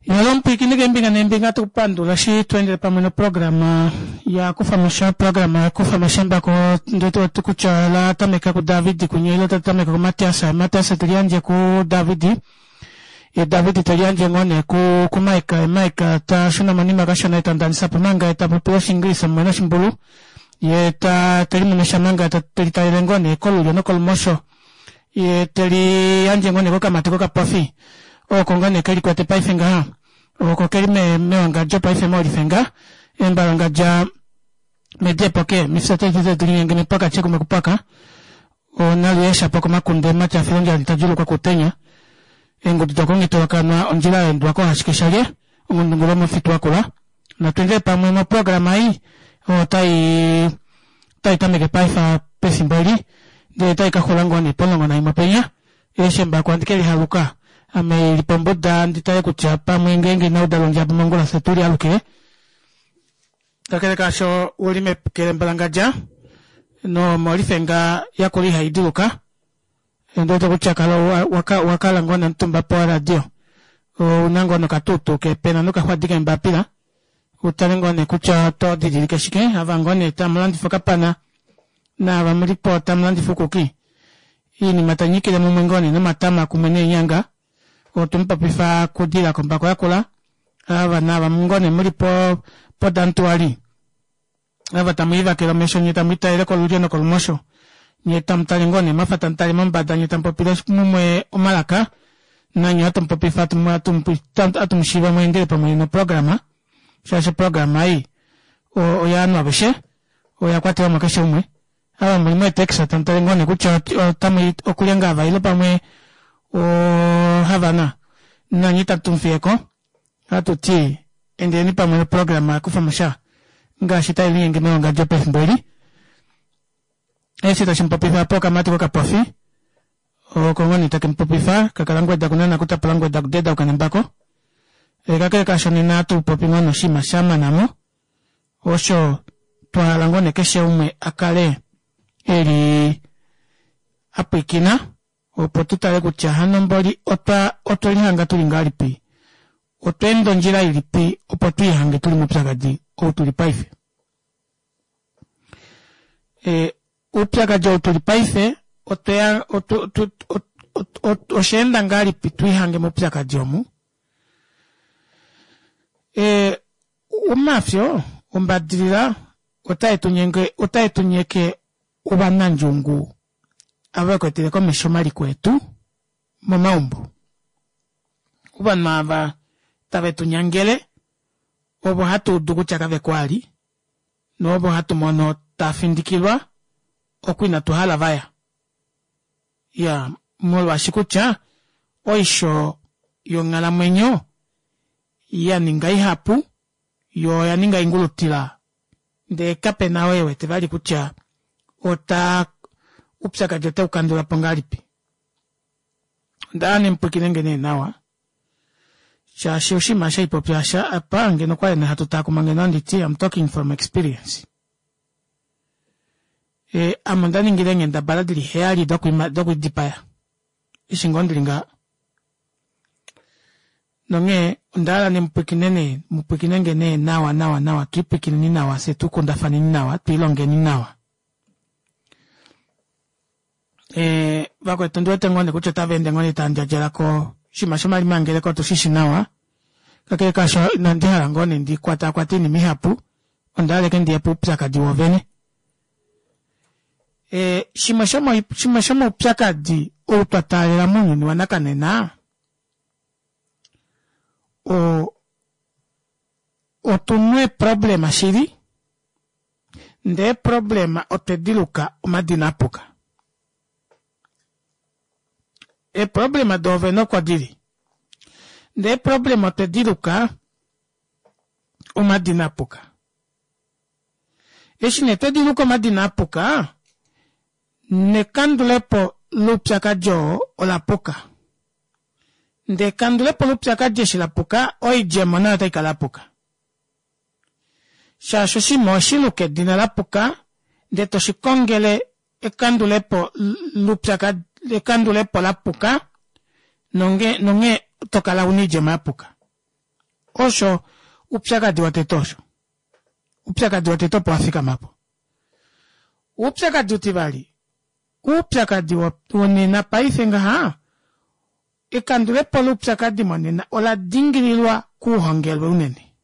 Yalo omupwiikini keembinga neembinga tukupandula eshi tweendele pamwe noprograma ya kufa mosha oprograma ya kufa mosha mbako ndeti kutya la tameka kuDavid kunye ile ta tameka kuMatias. Matias te liyandje kuDavid, ye David te liyandje ngoo nee kuMike, Mike ta shuna monima kashona ye ta ndanisapo manga ye ta popi Oshiingilisa mumwe noshimbulu, ye ta telimumesha manga telitalele ngoo nee kolulyo nokolumosho, ye teliyandje ngoo nee kokamati kokapofi oko ngoo nee kelikwete paife ngaha, oko keli mewangadjo paife moolifenga embalongadja medepoke mifye tete mepaka kumwe kupaka onaluyesha po komakunde matyafilondjali tadjulukwa kutenya eengudu dokongitolokanwa ondjila yaendwako ashike shalye ongundungu lomufitu wakula. Natwendele pamwe moprograma ei otai tai tameke paife pefimbo eli ndele tai kaxula ngoo nee po11 penya. Eshi embako handi kelihaluka ame ili pombuda ndi tale kutya pamwe ngeenge inauda londjaba mongula fye tuli alukile. Kakele kaasho uli mekelembalangadja nomolifenga yakula ihaiduluka ndiwete kutya kala wakala ngoo nomutumba poradio ouna ngoo nokatutu kepena nokaxwadi keembapila utale ngoo nee kutya oto didilike shike ava ngoo nee tamulandifa okapana naava mulipo tamulandifa ukuki iinima tanyikile mumwe ngoo nee nomatama kumwe neenyanga otumupopifa kudila kombako yakula ava naava ngoo nee muli podantuali ava tamuivakele omesho nye tamuitalele kolulyo nokolumosho nye tamutale ngoo nee mwafa tamutale mombada nye tamupopile mumwe omalaka nanye hatumupopifa atumushiiva mweendele pamwe noprograma shaashi oprograma ei oyaanhu aveshe oya kwatelamo keshe umwe ava muli meetaxi tamutale ngoo nee kutya otamu okulya ngaa vaile pamwe ohavana nanye itatumufiyeko hatuti endeleni pamwe noprograma yakufa mosha ngaashi tai linyenge mewangadjo pefimbo eli. Eshi tashi mupopifa po okamati kokapofi oko ngoo nee take mupopifa kakala ngweda kunana kutapula ngweda kudeda ukanembako. Kakele kaasho nena hatupopi ngoo noshinima shamanamo osho twahala ngoo nee keshe umwe akale eli apwiikina opo tutale kutya hano mboli otwelihanga tuli ngahelipi otweenda ondjila ilipi opo twiihange tuli moupyakadi ou tuli paife. Oupyakadi ou tuli paife oshaenda ngahelipi twiihange moupyakadi omu. Omafyo ombadilila otae tunyeke ovanandjungu ava vekwetele komesho omaliko etu momaumbo. Ovanhu ava tave tunyangele ovo hatu udu kutya kaveko ali noovo hatu mono tafindikilwa oko inatu hala vaya. Ya molwaashi kutya oisho yonghalamwenyo ya ninga ihapu yo oya ninga ingulutila ndee kapena oo ewete vali kutya ota upyakadi otaukandula po ngahelipi. Onda nemupwikinenge nee nawa shaashi oshinima shaipopya apa ngeno okwali hatu taakuma ngeno anditi I'm talking from experience. Ame onda ningile eenghendabala dili 7 dokwidipaya eshi ngoo ndili ngaha. Nonghee onda hala nemupwikine nee mupwikinenge nee nawa nawa nawa twiipwikineni nawa fye tukundafaneni nawa twiilongeni nawa. Vakwetu ondiwete ngoo nee kutya otava ende ngoo nee tandjadjalako oshinima shomalimangeleko otushishi nawa kakele kaasho inandi hala ngoo nee ndikwatakwate oinima ihapu onda hala ashike ndiye poupyakadi woovene. Shimwe shomoupyakadi ou twa taalela mounyuni wanakanena otuna eeproblema shili ndee eeproblema otwe diluka omadina apuka. Eeproblema doovene oko dili ndee eeproblema otwe diluka omadina apuka. Eshi nee twediluka omadina apuka nekandulepo loupyakadi oo olapuka. Ndee ekandulepo loupyakadi eshi lapuka oidjemo nayo otaikala yapuka. Shaashi oshinima oweshiluka edina lapuka ndee toshikongele ekandulepo loupyakadi ekandulepo lapuka nonghee tokala una oidjemo yapuka. Osho upyakadi wotete osho. Upyakadi wotete opo wa fikama po. Oupyakadi utivali, oupyakadi wonena paife ngaha, ekandulepo loupyakadi monena ola dingililwa kuuhongelwe unene.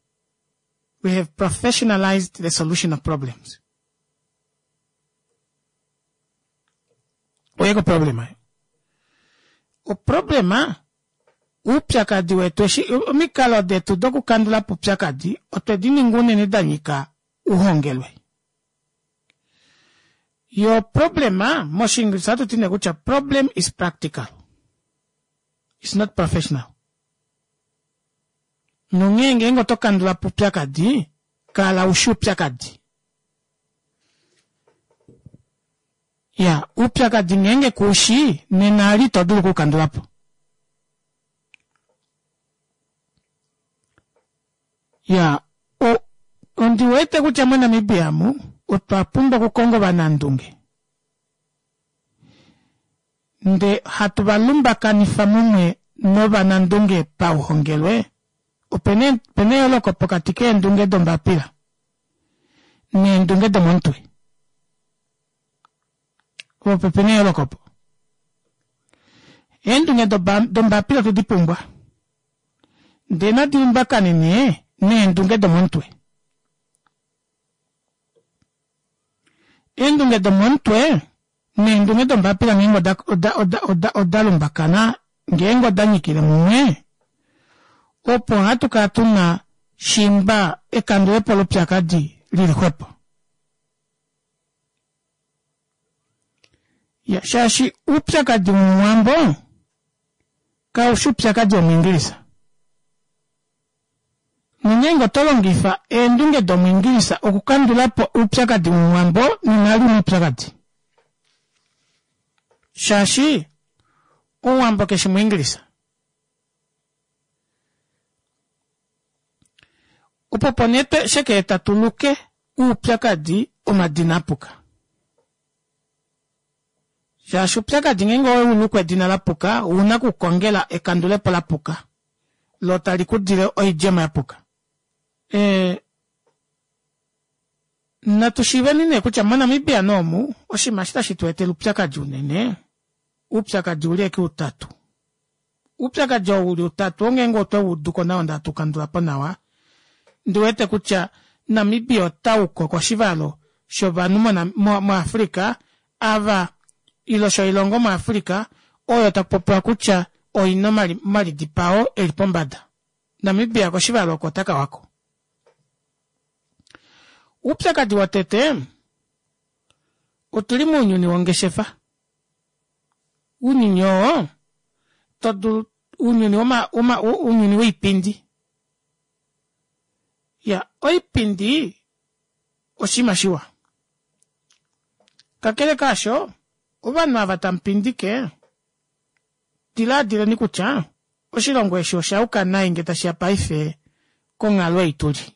We have professionalized the solution of problems. Oye ko problema. Oproblema oupyakadi wetu eshi omikalo detu dokukandula po oupyakadi otwe di ninga unene da nyika uhongelwe. Yo problema mOshiingilisa ohatu ti nee kutya problem is practical, it's not professional. Nonghee ngeenge oto kandula po oupyakadi, kala u shi oupyakadi. Ya, oupyakadi ngeenge ku u shi, nena ali ito dulu oku u kandula po. Ya, o, ondi wete kutya moNamibia mu otwa pumbwa okukonga ovanandunge nde hatu va lumbakanifa mumwe novanandunge pauhongelwe. Opena opena eyooloko pokati keendunge dombapila neendunge domomutwe. Opo opena eyooloko opo. Eendunge dombapila otwe di pumbwa. Ndee nadi lumbakane nee neendunge domomutwe. Eendunge domomutwe neendunge dombapila ngeenge oda, oda, oda, oda, oda lumbakana, ngeenge oda nyikile mumwe, opo hatu kala tu na shimba ekandulepo lopyakadi lili xwepo. Ya, shaashi oupyakadi womuwambo kau shi oupyakadi womuingilisa. Nongeenge oto longifa eendunge domuingilisa okukandula po oupyakadi womuwambo, nena ali oupyakadi. Shaashi omuwambo ke shi muingilisa. Opo po nee sheke tatu luke uupyakadi omadina apuka. Shaashi oupyakadi ngeenge owe u luku edina la puka, ou na okukongela ekandulepo la puka, lo tali ku dile oidjemo ya puka. E, natu shiiveni nee kutya moNamibia noomu oshinima eshi tashi tu etele oupyakadi unene, oupyakadi uli eke utatu. Oupyakadi ou uli utatu ongeenge otwe u udu ko nawa ndele hatu u kandula po nawa, ndi wete kutya Namibia ota u ko koshivalo shovanhu moAfrica ava ilo shoilongo moAfrica oyo taku popiwa kutya oi na omalidipao e li pombada. Namibia koshivalo oko ota ka wako. Oupyakadi wotete, otu li mounyuni wongeshefa. Ounyuni oo to dulu ounyuni woma woma ounyuni woipindi. Ya, oipindi oshinima shiwa. Kakele kaasho, ovanhu ava tamu pindike, dilaadileni kutya oshilongo eshi osha yuka nai nge tashi ya paife konghalo ei tu li.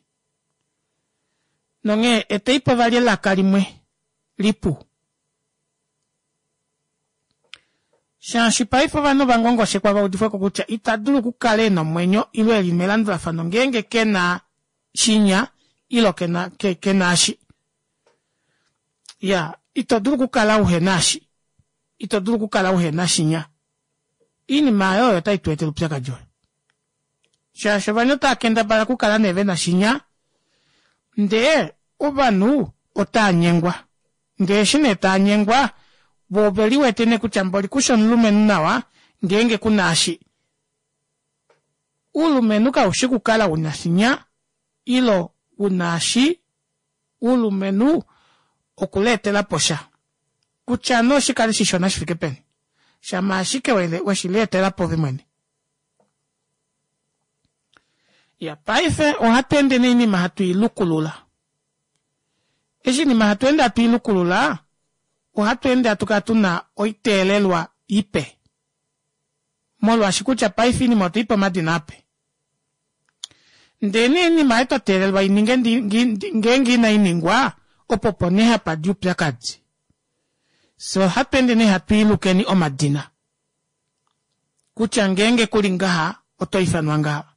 Nonghee etei po vali elaka limwe lipu. Shaashi paife ovanhu ova ngongoshekwa va udifwe ko kutya ita dulu okukala e na omwenyo ile e li melandulafano ngeenge ke na shinya ilo ke na, ke, ke na eshi. Ya, ito dulu okukala uhe na eshi. Ito dulu okukala uhe na shinya. Oinima oyo oyo tai tu etele oupyakadi oyo. Shaashi ovanhu otava kendabala okukala nee ve na shinya, ndee ovanhu otava nyengwa. Ndee eshi nee tava nyengwa, vo ove liwete nee kutya mboli kushi omulumenhu nawa ngeenge ku na eshi. Uulumenhu kau shi kukala u na shinya ilo u na eshi. Uulumenhu okuleetela po sha. Kutya nee oshi kale shishona shi fike peni, shama ashike we shi lietela po ove mwene. Ya, paife ohatu ende noinima hatu i lukulula. Eshi oinima hatu ende hatu i lukulula, ohatu ende hatu kala tu na oiteelelwa ipe. Molwaashi kutya paife oinima otwe i pa omadina ape. Ndee nee oinima oyo twa teelelwa i ninge ngeenge inai ningwa, opo po nee hapa di oupyakadi. Fye ohatu ende nee hatu i lukeni omadina. Kutya ngeenge ku li ngaha, oto ifanwa ngaha.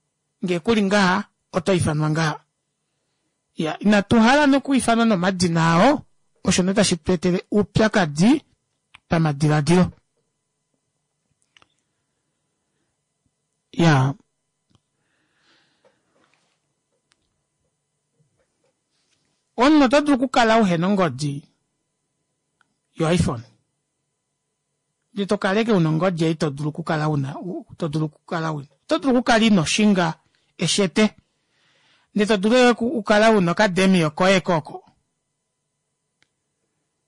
Ngee kuli ngaha oto ifanwa ngaha. Ya inatu hala nokuifanwa nomadina ao, osho nee tashi tu etele oupyakadi pamadiladilo. Ya omunhu oto dulu okukala uhena ongodi yo iPhone ndee to kala ashike una ongodi ei to dulu okukala una to dulu okukala una oto dulu okukala ino shinga eshete ndee to dulu okukala una okademio koye koko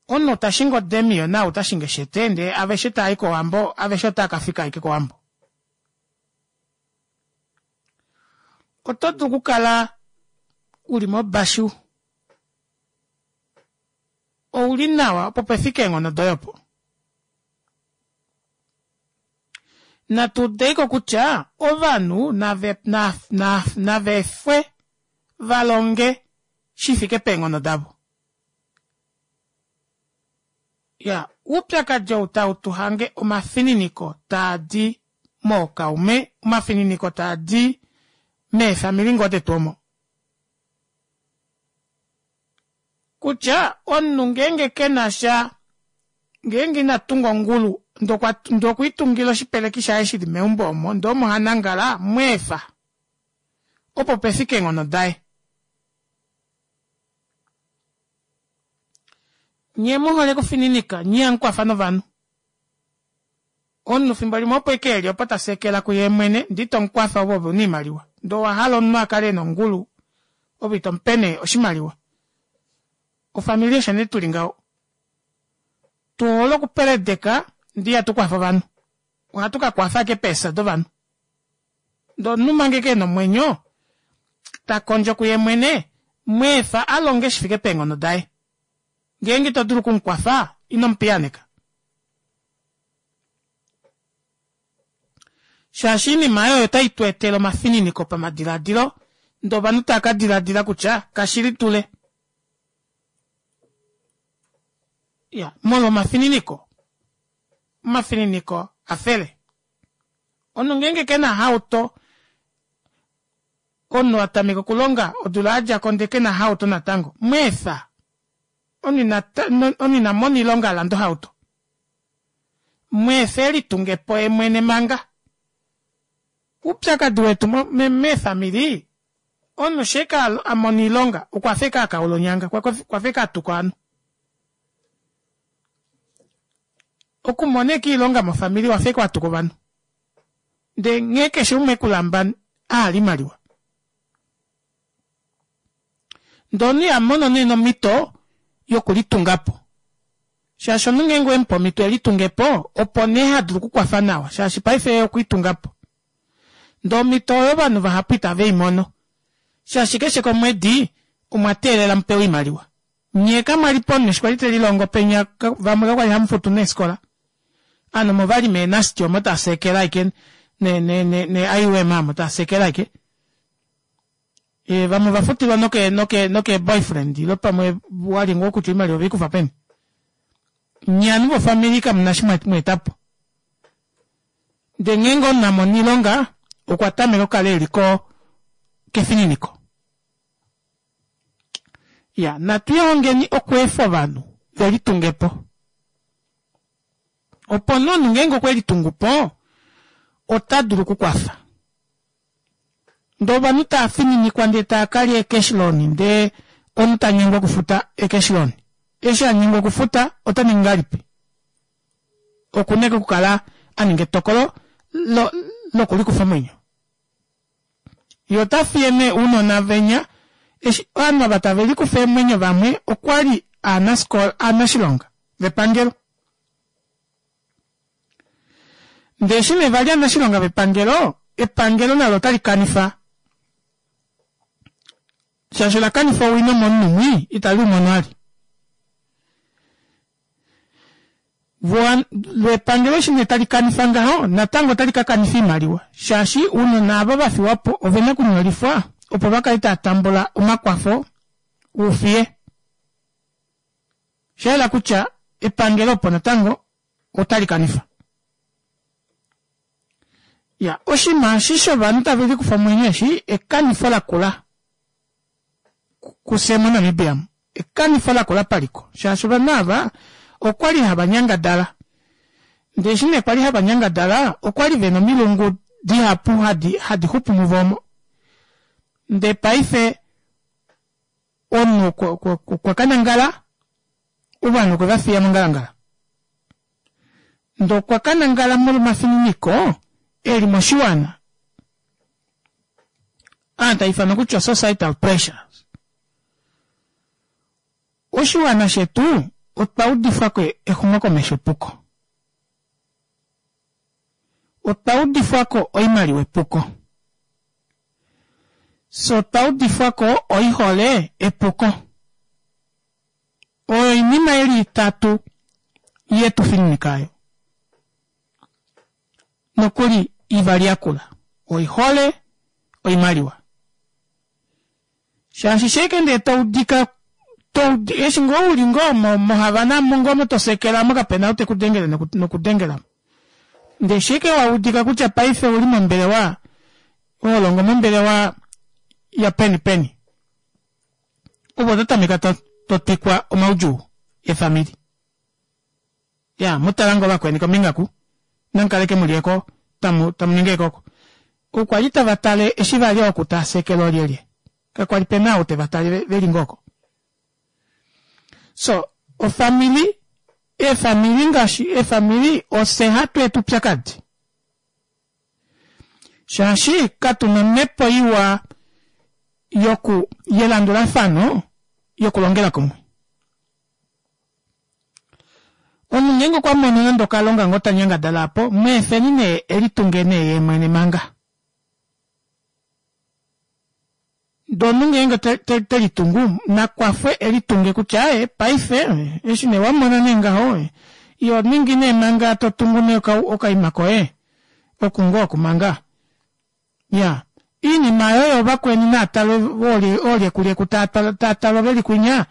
omunhu ta shingi odemio naau ta shingi eshete ndee aveshe taayi kowambo aveshe otaa kafika ashike kowambo oto dulu okukala uli mobashu ouli nawa opo pefike eenghono doye opo. Natu udeiko kutya ovanhu nave, na, na, nava efwe va longe shi fike peenghono davo. Ya, oupyakadi ou tau tu hange omafininiko taa di mookaume, omafininiko taa di meefamili ngoo detu omo. Kutya omunhu ngeenge ke na sha, ngeenge ina tunga ongulu, ndee okwa, ndee okwe itungila oshipeleki shaye shi li meumbo omo, ndee omo ha nangala, mu efa. Opo pe fike eenghono daye. Nye mu hole okufininika, nye ihamu kwafa novanhu. Omunhu fimbo limwe opo eke eli opo ta sekela kuye mwene, ndee ito mu kwafa ove ove una oimaliwa. Ndee owa hala omunhu a kale ena ongulu, ove ito mu pe nee oshimaliwa. Ofamili osho nee tuli ngaho. Tu hole okupeledeka ndee ihatu kwafa ovanhu. Ohatu ka kwafa ashike peefya dovanhu. Ndee omunhu manga eke ena omwenyo, ta kondjo kuye mwene, mu efa a longe shi fike peenghono daye. Ngeenge ito dulu oku mu kwafa, ino mu piyaaneka. Shaashi oinima oyo otai tu etele omafininiko pamadiladilo, ndee ovanhu tava ka diladila kutya kashi li tule. Ya, molwa omafininiko. Omafininiko a fele. Omunhu ngeenge ke na hauto, omunhu a tameka okulonga odula ya dja ko ndee ke na hauto natango, mu efa. Omunhu ina mona oilonga a lande ohauto. Mu efa e litunge po ye mwene manga. Oupyakadi wetu meefamili, omunhu shee ka a mona oilonga okwa fa eke a kaula onyanga, okwa fa eke a tuka ovanhu. Okumona eke oilonga mofamili owa fa eke wa tuka ovanhu. Ndee nghee keshe umwe e ku lamba a hala oimaliwa. Ndee omunhu iha mono nee nomhito yokulitunga po. Shaashi omunhu ngeenge owe mu pe omhito e litunge po, opo nee ha dulu okukwafa nawa shaashi paife ye okwe litunga po. Ndee omhito oyo ovanhu vahapu itave i mono shaashi keshe komwedi omwa teelela mu pewe oimaliwa. Nyee kamwa li po eshi kwali telilongo penya vamwe kakwali hamu futu neefikola. Ovanhu omo vali meenasti omo tava seekela ashike ne ne ne ne IUM omo tava seekela ashike. E, vamwe ova futilwa noke noke noke boyfriend ile pamwe wali ngoo kutya oimaliwa ove i kufa peni. Nye ovanhu vofamili kamu na shi mwa eta po. Ndee ngeenge omunhu a mona oilonga okwa tameka okukala e li ko kefininiko. Ya, natu lihongeni okweefa ovanhu ve litunge po. Opo nee omunhu ngeenge okwe litungu po, ota dulu okukwafa. Ndee ovanhu tava fininikwa ndee tava kalya eecash loan ndee omunhu ta nyengwa okufuta eecash loan. Eshi a nyengwa okufuta ota ningi ngahelipi? Oku na okukala a ninga etokolo lokulikufa omwenyo. Ye ota fiye nee ounona venya eshi ovanhu ava tave likufa eemwenyo vamwe okwali aanasikola aanashilonga vepangelo. Ndee eshi nee vali aanashilonga vepangelo, epangelo nalo otali kanifa shaashi ola kanifa owino momunhu mwii itali u mono vali. Lo epangelo eshi nee tali kanifa ngaho natango otali ka kanifa oimaliwa shaashi ounona ava va fiwa po ovena okunyolifwa opo va kale tava tambula omakwafo oufiye. Osha yela kutya epangelo opo natango otali kanifa. Ya oshinima eshi shovanhu tave likufa omwenyo eshi ekanifo lakula kufye moNamibia mu. Ekanifo lakula paliko shaashi ovanhu ava okwali hava nyangadala ndee eshi nee kwali hava nyangadala okwali vena omilungu dihapu hadi hadi xupu muvo omo ndee paife omunhu okwa ka nangala ovanhu okwe va fiya mongalangala ndee okwa ka nangala molwa omafininiko eli moshiwana aa taa ifanwa kutya societal pressure. Oshiwana shetu otwa udifwako exumokomesho epuko. Otwa udifwako oimaliwa epuko. Fye otwa udifwako oihole epuko. Oyo oinima ili itatu yetu fininika ayo. Nokuli ivali yakula. Oihole, oimaliwa. Shaashi sheike ndee to udika to eshi ngoo uli ngoo moHavana mo ngoo motosekela mo kapena ou teku dengele nokudengela mo. Ndee sheike wa udika kutya paife ouli mombelewa ho longo mombelewa ya peni peni ove oto tameka to twikwa omaudjuu efamili. Ya mu tala ngoo vakweni kombinga ku namukale ke mu lyeko tamu tamu ningi ekoko. Ou kwali tava tale eshi vali oku taa sekele olyelye? Kakwali pena ou teva tale veli ngoo oko. So ofamili eefamili ngaashi eefamili ofye hatu eta oupyakadi shaashi katuna omhepo iwa yoku yelandulafano yokulongela kumwe. Omunhu ngeenge okwa mono nande okalonga ngoo ta nyangadala apo, mu efeni nee e litunge nee yee mwene manga. Ndee omunhu ngeenge te litungu, na kwafwe e litunge kutya aaye paife eshi nee wa mona nee ngaho, iho ningi nee manga to tungu nee okaima koye, oku ngoo oku manga. Iya, oinima oyo vakweni naa talwe oolyekulyekku taa talwa veli kwinya,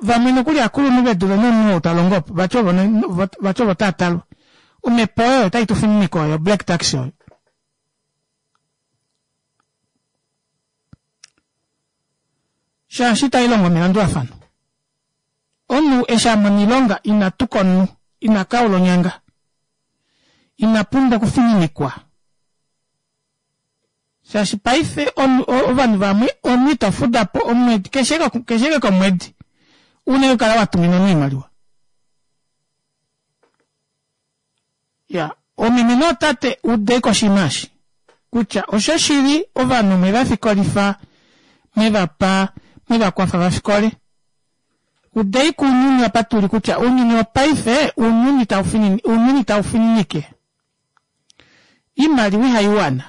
Vamwe nokuli akulunhu ve dule nomunhu ou ta longo opo, vati ovo vati ovo taa talwa. Omhepo oyo otai tu fininike oyo black tax oyo. Shaashi itai longo melandulafano. Omunhu eshi a mona oilonga ina tuka omunhu, ina kaula onyanga. Ina pumbwa okufininikwa. Shaashi paife ovanhu vamwe omunhu ito fuda po omwedi keshe keshe komwedi una okukala wa tumina omunhu oimaliwa. Ya oomeme nootate udeko oshinima eshi kutya oshoshili ovanhu mwe va fikolifa mwe va pa mwe va kwafa va fikole. Udei kuunyuni apa tuli kutya ounyuni wopaife ounyuni tau finini ounyuni tau fininike. Iimaliwa ihayi wana.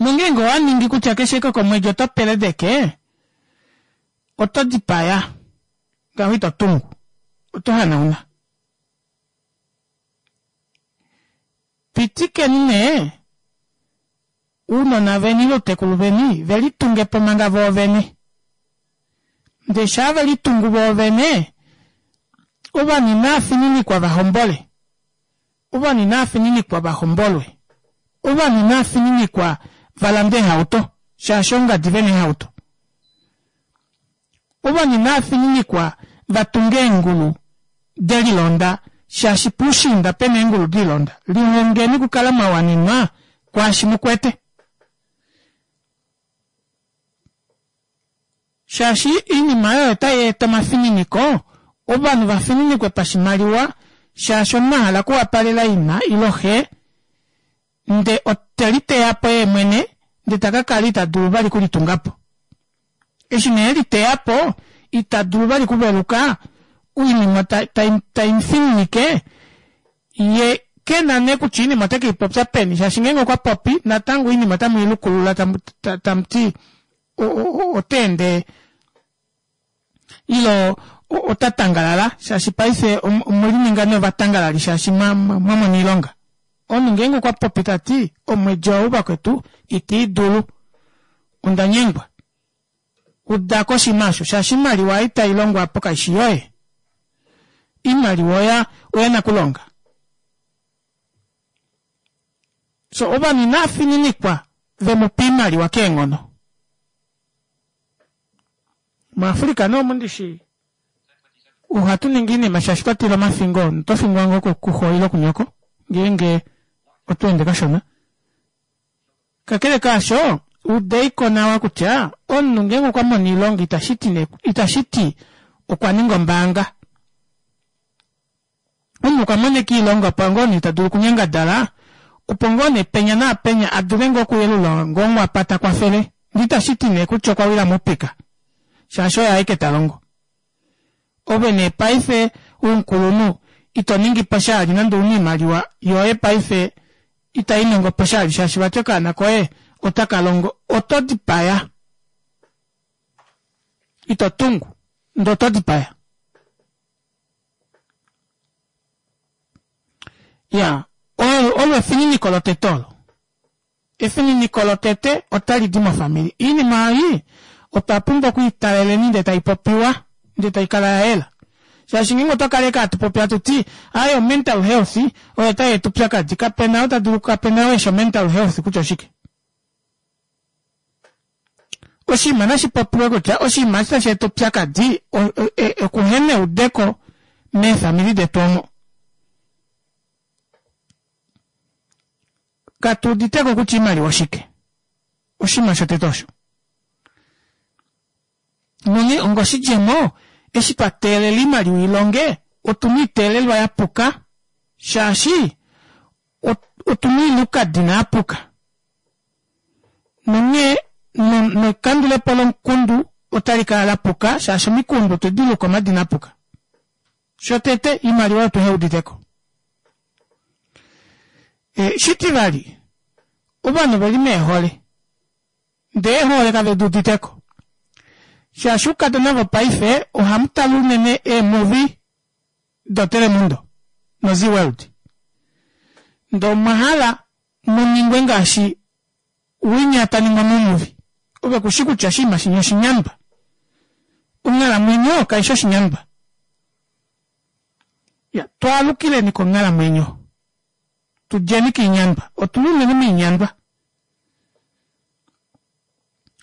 Nongeenge owa ningi kutya keshe komwedi oto peledeke, oto dipaya, ngaho ito tungu, oto hanauna. Pitikeni nee ounona veni ile outekulu veni ve litunge po manga voovene. Ndee shaa ve litungu voovene, ovanhu inava fininikwa va hombole, ovanhu inava fininikwa va hombolwe, ovanhu inava fininikwa va lande eehauto shaashi ongadi ve na eehauto. Ovanhu inava fininikwa va tunge eengulu de lilonda shaashi puushiinda pe na eengulu de lilonda. Lihongeni okukala mwa wanenwa kwaashi mu kwete. Shaashi oinima oyo otai eta omafininiko, ovanhu va fininikwe pashimaliwa shaashi omunhu a hala okuwapalela ina ile xe nde ote liteya po yee mwene nde ta ka kala ita dulu vali okulitunga po. Eshi nee e liteya po ita dulu vali okuveluka, oinima tai mu fininike ye ke na nee kutya oinima ote ke i popya peni shaashi ngeenge okwa popi natango oinima otamu i lukulula tamu ti ota ende ile ota tangalala shaashi paife omwe lininga nee ovatangalali shaashi mwa mona oilonga. Omunhu ngeenge okwa popi ta ti omwedi ou vakwetu ita i dulu onda nyengwa. Uda ko oshinima osho shaashi oimaliwa ei tai longwa apo kaishi yoye. Oimaliwa oya oya nakulonga. So ovanhu inaa fininikwa ve mu pe oimaliwa keenghono. MuAfrica nee omu ndishi ohatu ningi oinima shaashi twa tila omafingo, oto fingwa ngoo kuxo ile kunyoko ngeenge oto ende kashona. Kakele kaasho, udeiko nawa kutya omunhu ngeenge okwa mona oilonga itashi ti nee itashi ti okwa ninga ombaanga. Omunhu okwa mona ashike oilonga opo ngoo nee ta dulu okunyangadala, opo ngoo nee penya naapenya a dule ngoo okuyelula ngoo onghwapa ta kwafele. Ndee itashi ti nee kutya okwa wila moupika shaashi oye aeke ta longo. Ove nee paife omukulunhu ito ningi po sha vali nande ouna oimaliwa yoye paife itai nongo po sha vali shaashi vati okaana koye otaka longo. Oto dipaya. Ito tungu ndee oto dipaya. Iyaa, olo efininiko lotete olo. Efininiko lotete otali di mofamili. Oinima ei otwa pumbwa okwiitaleleni ndee tai popiwa ndee tai kala ya yela. Shaashi ngeenge otwa kala ashike hatu popi hatu ti aaye o mental health oyo tai eta oupyakadi, kapena ou ta dulu kapena ou eshi o mental health kutya oshike. Oshinima nashi popiwe kutya oshinima eshi tashi eta oupyakadi okuhena eudeko meefamili detu omo. Katu uditeko kutya oimaliwa oshike. Oshinima shotete osho. Nonghee ongoshidjemo, eshi twa teelela oimaliwa ilonge, otu na oiteelelwa ya puka shaashi otu na oilukadina ya puka. Nonghee nekandulepo lomukundu otali kala la puka shaashi omikundu otwe di luka omadina a puka. Shotete, oimaliwa otuhe udite ko. E, shitivali, ovanhu ove li meehole, ndee eehole kave di udite ko. Shaashi oukadona vopaife ohamu tale unene eemuvi doTelemundo noZee World. Ndee omwa hala mu ningwe ngaashi winya ta ningwa momuvi. Ove ku shi kutya oshinima shinya oshinyandwa. Onghalamwenyo kai shi oshinyandwa. Ya, twaalukileni konghalamwenyo. Tu djeni koinyandwa. Otu li unene moinyandwa.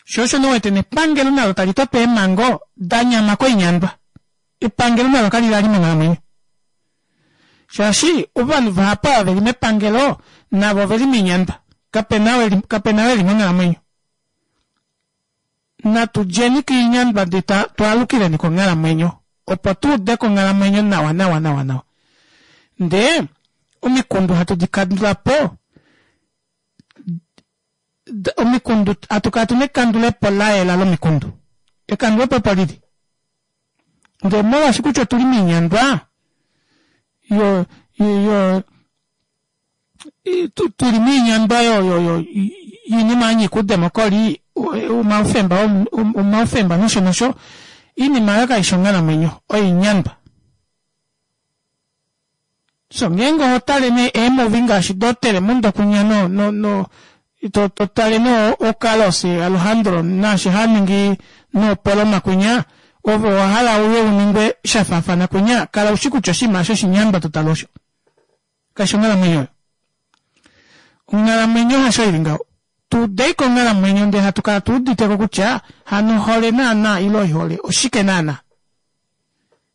Sho osho nee u wete nepangelo nalo tali toto eemhango da nyama koinyandwa. Epangelo nalo kali lali monghalamwenyo. Shaashi ovanhu vahapu ava veli mepangelo navo oveli moinyandwa. Kapena ou eli kapena ou eli monghalamwenyo. Natu djeni koinyandwa ndee twaalukileni konghalamwenyo opo tu udeko onghalamwenyo nawa nawa nawa nawa. Ndee omikundu hatu di kandula po omikundu hatu kala tuna ekandulepo la yela lomikundu. Ekandulepo opo lili. Ndee molwaashi kutya otuli moinyandwa yo yo tuli moinyandwa yo yo yo yoinima ya nyika oudemokoli omaufemba omaufemba nosho nosho oinima oyo kaishi onghalamwenyo oinyandwa. So ngeenge oho tale nee eemuvi ngaashi do Telemundo kunya no no no to to tale nee oCarlos Alejandro naashi ha ningi noopoloma kunya ove owa hala uye u ningwe sha faafana kunya kala ushi kutya oshinima osho oshinyandwa to tale osho. Kaishi onghalamwenyo oyo. Onghalamwenyo hasho ili ngaho. Tu udei ko onghalamwenyo ndele hatu kala tu udite ko kutya hano ohole naana ile oihole oshike naana.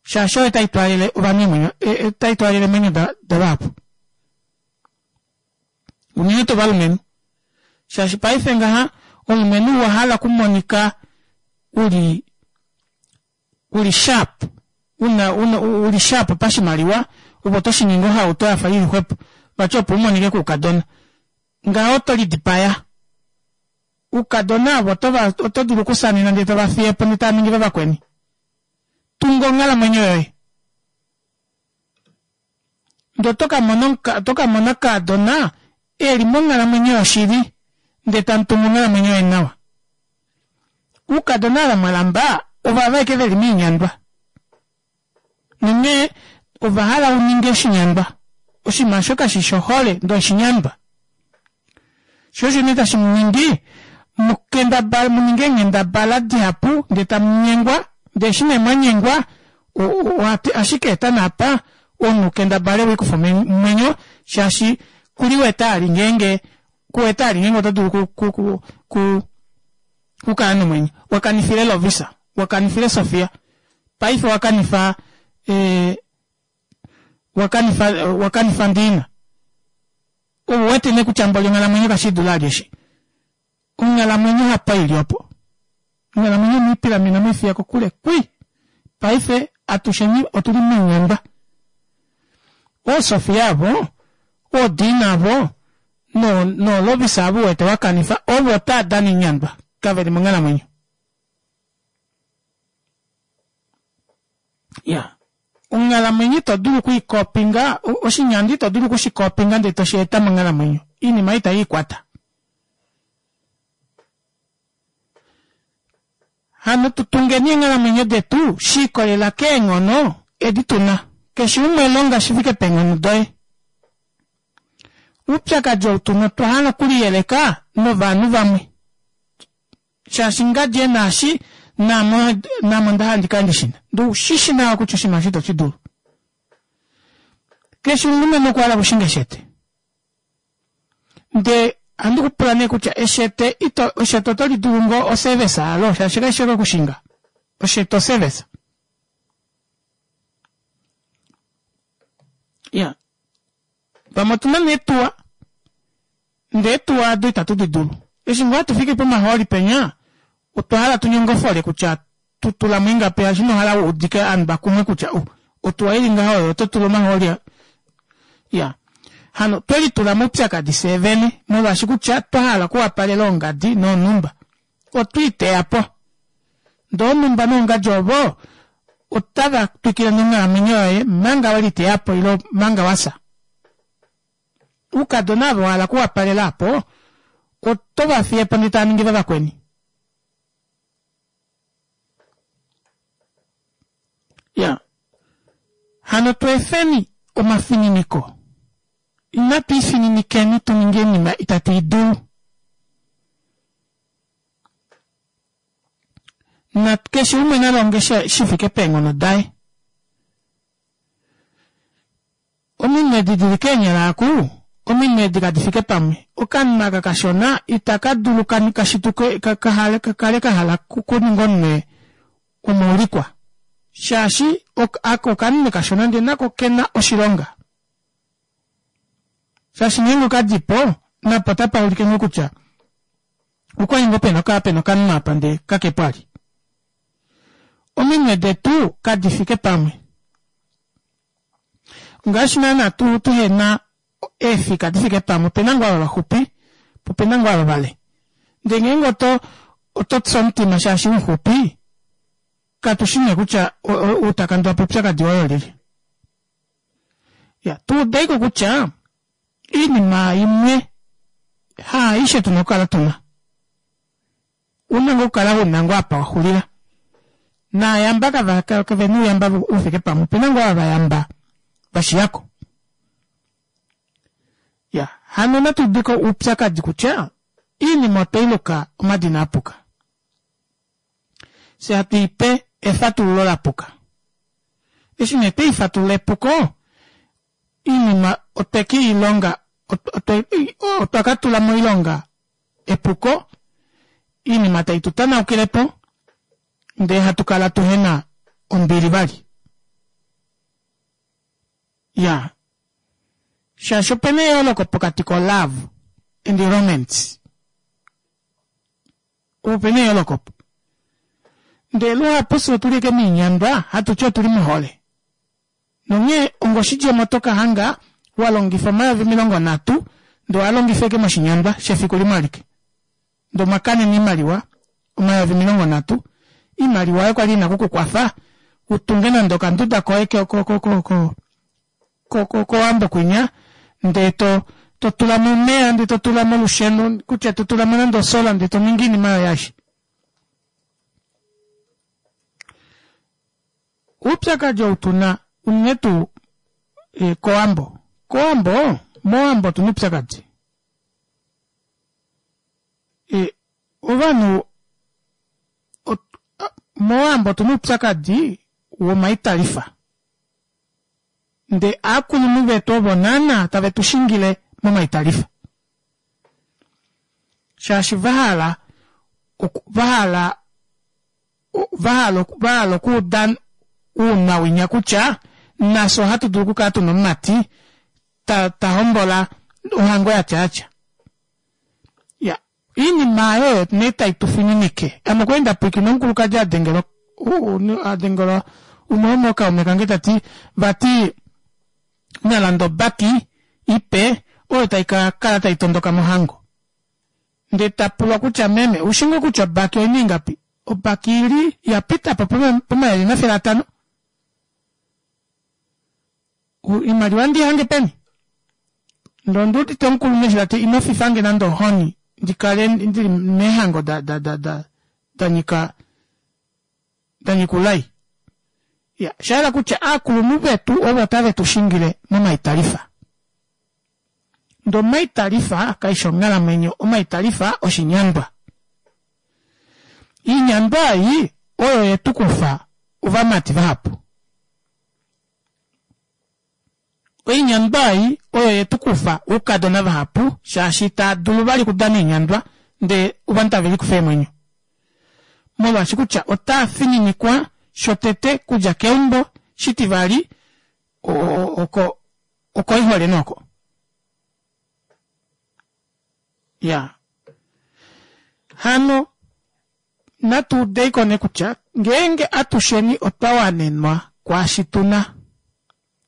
Shaashi oyo tai twaalele ovanhu eemwenyo, tai twaalele eemwenyo davahapu. Unene tuu ovalumenhu. Shaashi paife ngaha omulumenhu owa hala okumonika uli uli sharp, una una uli sharp pashimaliwa ove oto shi ningi ohauto yafa ili xwepo vati opo u monike koukadona. Ngaho oto lidipaya. Oukadona ovo otova oto dulu okusanena ndele tova fiye po ndele tava ningi vavakweni. Tunga onghalamwenyo yoye. Ndee oto ka mona oto ka mona kaadona e li monghalamwenyo yoshili ndee tamu tungu onghalamwenyo yeni nawa. Uukadona ava mwa lamba ovava ashike veli moinyandwa. Nonghee ova hala u ninge oshinyandwa. Oshinima osho kashi shi ohole ndee oshinyandwa. Sho osho nee tashi mu ningi mu kendabale mu ninge eenghendabala dihapu ndee tamu nyengwa ndee eshi nee mwa nyengwa ashike eta naapa omunhu kendabale wiikufe omwenyo shaashi kuli wete ali ngeenge. Kuwete ali ngeenge oto dulu ku ku ku ku kukala nomwenyo. Wakanifile Lovisa, wakanifile Sofia, paife wakanifa ee wakanifa wakanifa Ndiina. Ouwete nee kutya mboli onghalamwenyo kashiidula ali eshi. Onghalamwenyo hapo ili opo. Onghalamwenyo omwiipilamena mwiifiya kokule kwi. Paife atusheni otuli moinyandwa. OoSofia avo, ooDiina avo, no nooLovisa avo uwete wa kanifa, ovo otaa dana oinyandwa, kave li monghalamwenyo. Ya. Onghalamwenyo ito dulu oku i kopinga, oshinyandwa ito dulu oku shi kopinga ndele to shi eta monghalamwenyo. Oinima itai ikwata. Hano tu tungeni eenghalamwenyo detu shi ikolelela keenghono edi tu na. Keshe umwe longa shi fike peenghono doye. Oupyakadi ou tu na otwa hala okuliyeleka novanhu vamwe. Shaashi ngadi e na eshi, naame naame onda hala ndi kale ndi shi na. Ndee ou shi shi nawa kutya oshinima osho ito shi dulu. Keshe omulumenhu okwa hala okushinga eshete. Ndee ohandi ku pula nee kutya eshete ito eshete oto li dulu ngoo oservice yalo shaashi kaishi ashike okushinga oshete oservice. Ya vamwe otuna nee eetuwa ndee eetuwa ado itatu di dulu eshi ngoo hatu fiki pomahooli penya otwa hala tu nyongofole kutya tu tula mo ingapi shaashi ino hala u udike ovanhu vakumwe kutya oh otuwa ili ngaha oyo oto tula omahooli ya hano twe litula moupyakadi fyee vene molwaashi kutya twa hala okuwapalela oongadi noonhumba otwe iteya po ndee oonhumba noongadi ovo otava twikile nonghalamwenyo yoye manga we liteya po ile manga wafya. Oukadona ava wa hala okuwapalela apo oto va fiye po ndee tava ningi vavakweni. Ya. Hano tu efeni omafininiko. Inatu ifininikeni tu ninge oinima itatu i dulu. Na keshe umwe na longe shi fike peenghono daye. Ominwe edi dili keenyala aku, ominwe edi kadi fike pamwe. Okanhu aka kashona itaka dulu ka shituke ka kale ka hala okuninga omunwe womuulikwa. Shaashi aka okanhu kashona ndee nako okena oshilonga. Shaashi ngeenge okadi po, napo otapa ulike ngoo kutya okwali ngoo pena okukala pena okanhu apa ndee kakepo ali. Ominwe detu kadi fike pamwe. Ngaashi naana tu tuhena eefika di fike pamwe, opena ngoo ava vaxupi po opena ngoo ava vale. Ndee ngeenge oto oto tsu omutima shaashi umuxupi, katu shi nee kutya ou ta kandula po oupyakadi woye olyelye. Ya, tu udeiko kutya oinima imwe haaishe tuna okukala tuna. Una ngoo okukala una ngoo apa wa xulila. Naayamba kava kavena ouyamba ufike pamwe, opena ngoo ava vayamba vashiyako. Ya, hano natu udeko oupyakadi kutya iinima otwei luka omadina apuka. Fye hatu ipe efatululo lapuka. Eshi nee twei fatulula epuko, iinima otwe ke i longa, otwa ka tula moilonga epuko, iinima tai tu tanaukile po, ndee hatu kala tuhe na ombili vali. Ya, shaashi opena eyooloko pokati ko love and romance. Opena eyooloko opo. Ndee luhapu fye otuli ashike moinyandwa hatu ti otuli mohole. Nonghee ongoshidjemo oto ka hanga wa longifa 30 000 ndee owa longifa ashike moshinyandwa shefiku limwe alike. Ndee omwa kanena oimaliwa 30 000, oimaliwa oyo kwali ina oku ku kwafa u tunge nande okanduda koye kowambo kwinya ndee to to tula mo omeya ndee to tula mo olusheno kutya to tula mo nande osola ndee to ningi oinima yoye aishe. Oupyakadi ou tu na unene tuu kOwambo. KOwambo, mOwambo otu na oupyakadi. Ovanhu mOwambo otu na oupyakadi womaitalifa. Ndee aakulunhu vetu ovo naana tave tu shingile momaitalifa. Shaashi vahala vahala vahala vahala okuuda uunawinya kutya nafye ohatu dulu okukala tuna omumati ta ta hombola ohango yatya yatya. Ya iinima aayo nee tai tu fininike. Ame okwali nda pwilikina omukulukadi a dengelwa a dengelwa umwe womookaume kange ta ti vati na lande obaki ipe oyo tai ka kala tai tondoka mohango. Ndee ta pulwa kutya meme oushi ngoo kutya obaki oina ingapi? Obaki ili ya pita po pomayovi 500. Oimaliwa ndi hange peni? Ndee ondi udite omukulunhu eshi ta ti ino fifange nande ohoni ndi kale ndili meehango da da da da da nyika da nyika oulai. Ya, osha yela kutya aakulunhu vetu ovo tave tu shingile momaitalifa. Ndee omaitalifa kaishi onghalamwenyo, omaitalifa oshinyandwa. Iinyandwa ei oyo ye tu kufa ovamati vahapu. Oinyandwa ei oyo ye tu kufa oukadona vahapu shaashi itaa dulu vali okudana oinyandwa ndee ovanhu tave likufa eemwenyo. Molwaashi kutya otaa fininikwa shotete kudja keumbo, shitivali oko okoihole nooko. Ya. Hano natu udei ko nee kutya ngeenge atusheni otwa wanenwa kwaashi tu na,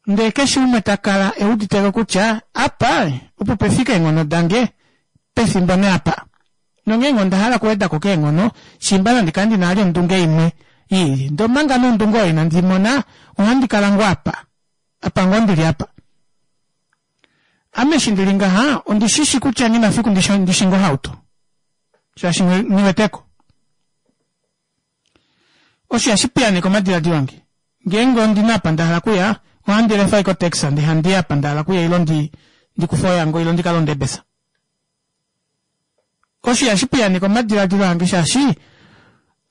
ndee keshe umwe ta kala e udite ko kutya apa opo pe fike eenghono dange pefimbo nee apa, nongeenge onda hala okuweda ko keenghono, shiimba nandi kale ndi na vali ondunge imwe i lili, ndee omanga nee ondunge oyo inandi i mona, ohandi kala ngoo apa, apa ngoo ndi li apa. Ame eshi ndi li ngaha, ondi shi shi kutya nghi na fiku ndi shinge ohauto. Shaashi nghi wete ko. Osho ihashi piyaaneke omadiladilo ange. Ngeenge ondi na apa nda hala okuya, ohandi lefa ashike otaxi ndee handi i apa nda hala okuya ile ndi ndi kufe oyango ile ndi ka londe ebesa. Osho ihashi piyaaneke omadiladilo ange shaashi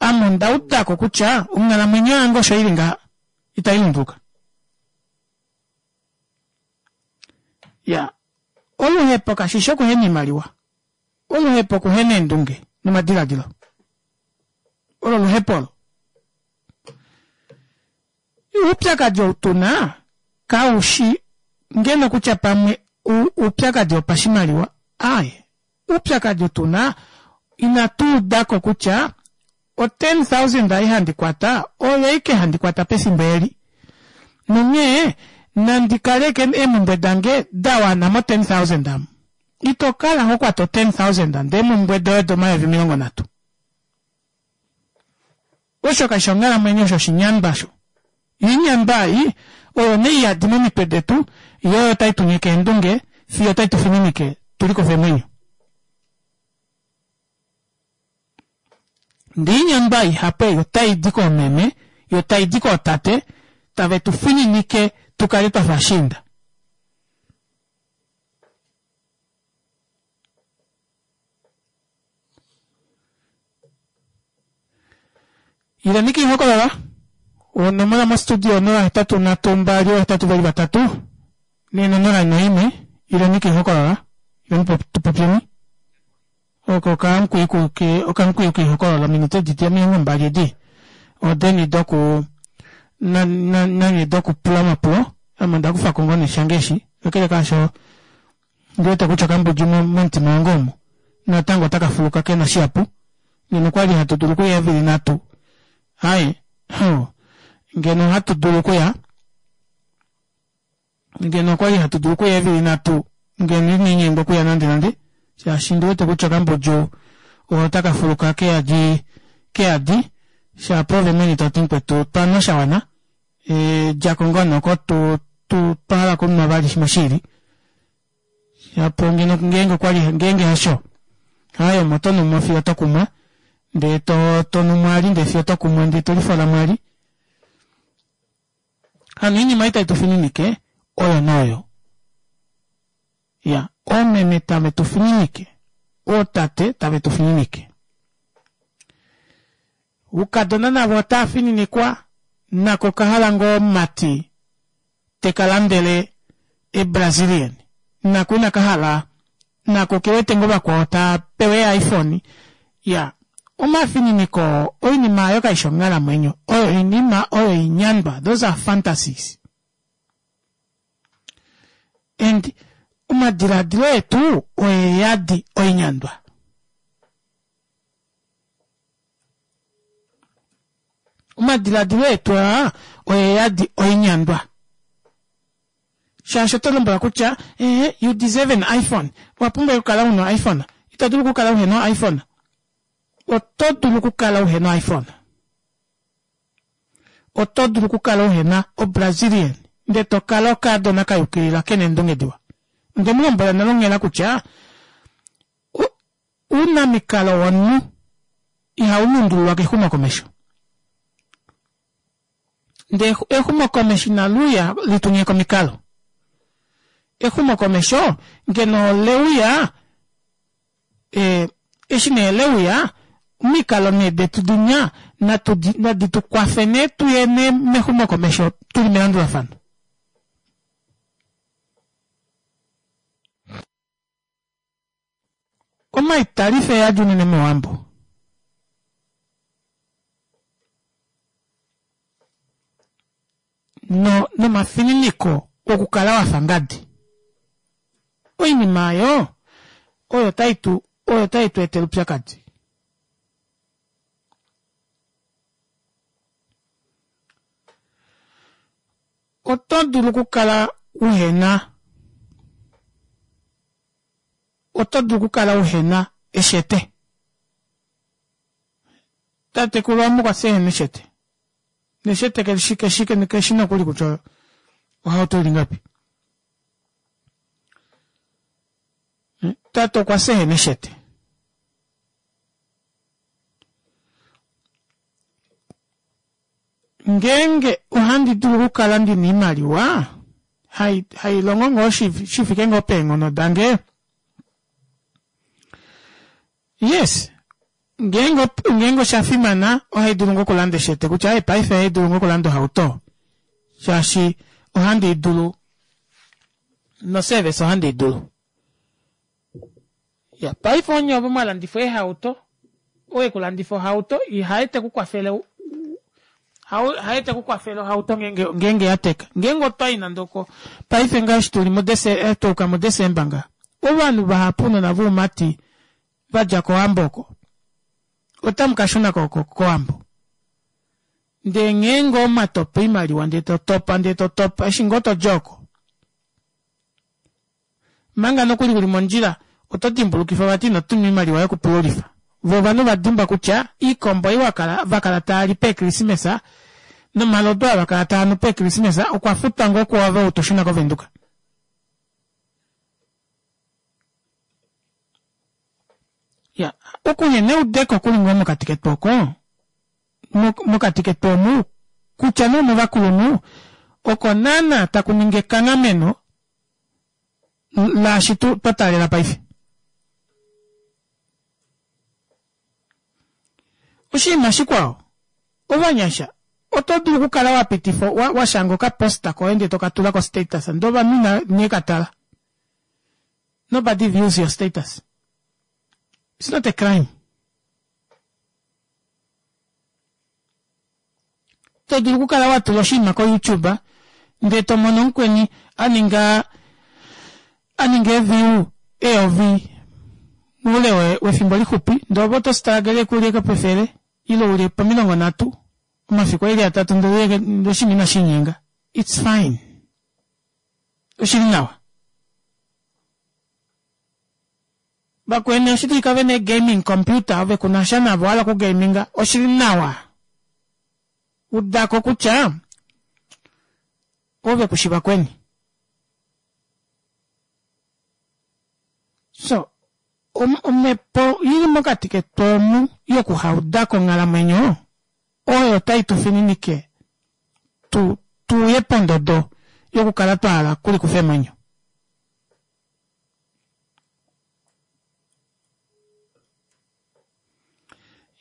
ame onda uda ko kutya onghalamwenyo yange osho i li ngaha, itai lunduluka. Ya, oluhepo kashi shi okuhena oimaliwa. Oluhepo okuhena eendunge nomadiladilo. Olo oluhepo olo. Oupyakadi ou tu na kau shi ngeno kutya pamwe oupyakadi wopashimaliwa. Aaye, oupyakadi ou tu na inatu uda ko kutya o 10,000 ei handi kwata oyo aike handi kwata pefimbo eli. Nonghee nandi kaleke eemhumbwe dange da wana mo 10,000 amu. Ito kala ho kwata o 10,000 ndee eemhumbwe doye odo 30,000. Osho kashi onghalamwenyo osho oshinyandwa osho. Oinyandwa ei oyo nee iyadi momitwe detu yo oyo tai tu nyeke eendunge fiyo tai tu fininike tu likufe eemwenyo. Ndee oinyandwa ihapu ei otai di koomeme yo tai di kootate tave tu fininike tu kale twa fa ashiinda. Ileni kiihokolola onomola mostudio 0832883 ne 041 ileni kiihokolola ileni tu popyeni oko okamukwiyu kiihokolola ominute edi 20 edi odeni doku nanye dokupula omapulo ame onda kufako ngoo nee shange eshi kakele kaasho Ondi wete kutya okambudju momutima wange omu natango otaka fuluka ke na shihapu. Ngeno okwa li hatu dulu okuya eevili nhatu, aye, huh, ngeno ohatu dulu okuya, ngeno okwa li hatu dulu okuya eevili nhatu, ngeno ina inyengwa okuya nandenande, shaashi ndi wete kutya okambudju otaka fuluka ke yadi, ke yadi, shapo ove mwene to ti mukwetu twa nwa sha wana. E, dja ko ngoo noko tu, tu, twa hala okunwa vali shimwe shiili. Shapo ngeno ngeenge okwa li ngeenge hasho. Haye omo to numo fiyo to kumwa. Ndee to, to nu mwali ndee fiyo to kumwa ndee to lifola mwali. Hano oinima ei tai tu fininike oyo noyo. Ya, oomeme tave tu fininike, ootate tave tu fininike. Oukadona navo otava fininikwa, nako oka hala ngoo omumati te ka landele eBrazilian. Nako inaka hala, nako oke wete ngoo vakwao ta. pewe iPhone. Ya, omafininiko oo, oinima oyo kai shi onghalamwenyo. Oyo oinima oyo oinyandwa. Those are fantasies. And omadiladilo etu oe yadi oinyandwa. Omadiladilo etu aa oe yadi oinyandwa. Shaashi oto lombwelwa kutya eh, you deserve an iPhone. Owa pumbwa okukala u na iPhone. Ito dulu okukala uhe na iPhone. Oto dulu okukala uhe na iPhone. Oto dulu okukala uhe na oBrazilian ndele to kala okaadona ka yukilila ke na eendunge diwa. Onde mu lombwela nale onghela kutya ounamikalo womunhu ihau lundululwa kexumokomesho. Ndee exumokomesho inali uya li tu nyeke omikalo. Exumokomesho ngeno ole uya e, eshi nee le uya omikalo nee detu dinya nadi tu kwafe nee tuye nee mexumokomesho tuli melandulafano. Omaitalife eyadi unene mOwambo. No, nomafininiko okukala wa fa ngadi. Oinima oyo oyo tai tu oyo tai tu etele oupyakadi. Oto dulu okukala uhena Oto dulu okukala uhe na eshete. Tatekulu wamwe okwa fya ehena eshete. Neshete kelishi keshi keshi nokuli kutya ohauto ili ngapi. Tate okwa fya ehena eshete. Ngeenge ohandi dulu okukala ndi na oimaliwa hai, hai longo ngoo shi, shi fike ngoo peenghono dange, yes, ngeenge, ngeenge osha fimana ohai dulu ngoo okulanda eshete kutya hey, paife ohai dulu ngoo okulanda ohauto shaashi ohandi i dulu noservice ohandi i dulu. Ya, paife onye ovo mwa landifa eehauto, ou e ku landifa ohauto ihaye te ku kwafele haye te ku kwafele ohauto ngeenge ngeenge ya teka. Ngeenge otwa i nande oko paife ngaa eshi tuli mudese eh, twa uka muDesemba nga ovanhu vahapu ounona voumati va dja kOwambo oko otamu ka shuna ko kOwambo. Ndee ngeenge omwa topa oimaliwa ndee to topa ndee to topa eshi ngoo to dja oko Manga nokuli u li mondjila, oto dimbulukifwa vati ino tuma oimaliwa yokupululifa. Vo ovanhu va dimbwa kutya iikombo ei wa kala, va kala tava li peekrismesa nomalodu aa va kala tava nu peekrismesa okwa futwa ngoo kuove ou to shuna kOvenduka. Ya, okuhena eudeko ku li ngoo mokati ketu oko, mokati ketu omu, kutya nee omovakulunhu, oko naana taku ningi ekanghameno laashi tu twa taalela paife. Oshinima shikwao, ovanyasha oto dulu okukala wa pitifa wa, wa shanga okaposta koye ndele to ka tula ko-status ndele ovanhu ina ne ka tala. Nobody views your status. It's not a crime. To dulu okukala wa tula oshinima koYouTube ndele to mono omukweni a ninga a ninga eeview eyovi moule wefimbo lixupi ndele ove oto struggle ku li pefele ile u li pomilongo nhatu omafiku eli atatu ndele oshinima inashi inyenga. It's fine. Oshili nawa. Vakweni oshi dulika ve na eegaming computer ove ku na sha navo hala okugaminga oshi li nawa. Uda ko kutya ove ku shi vakweni. So omhepo i li mokati ketu omu yokuhauda ko onghalamwenyo oyo tai tu fininike tu tu uye pondodo yokukala twa hala okulikufa eemwenyo.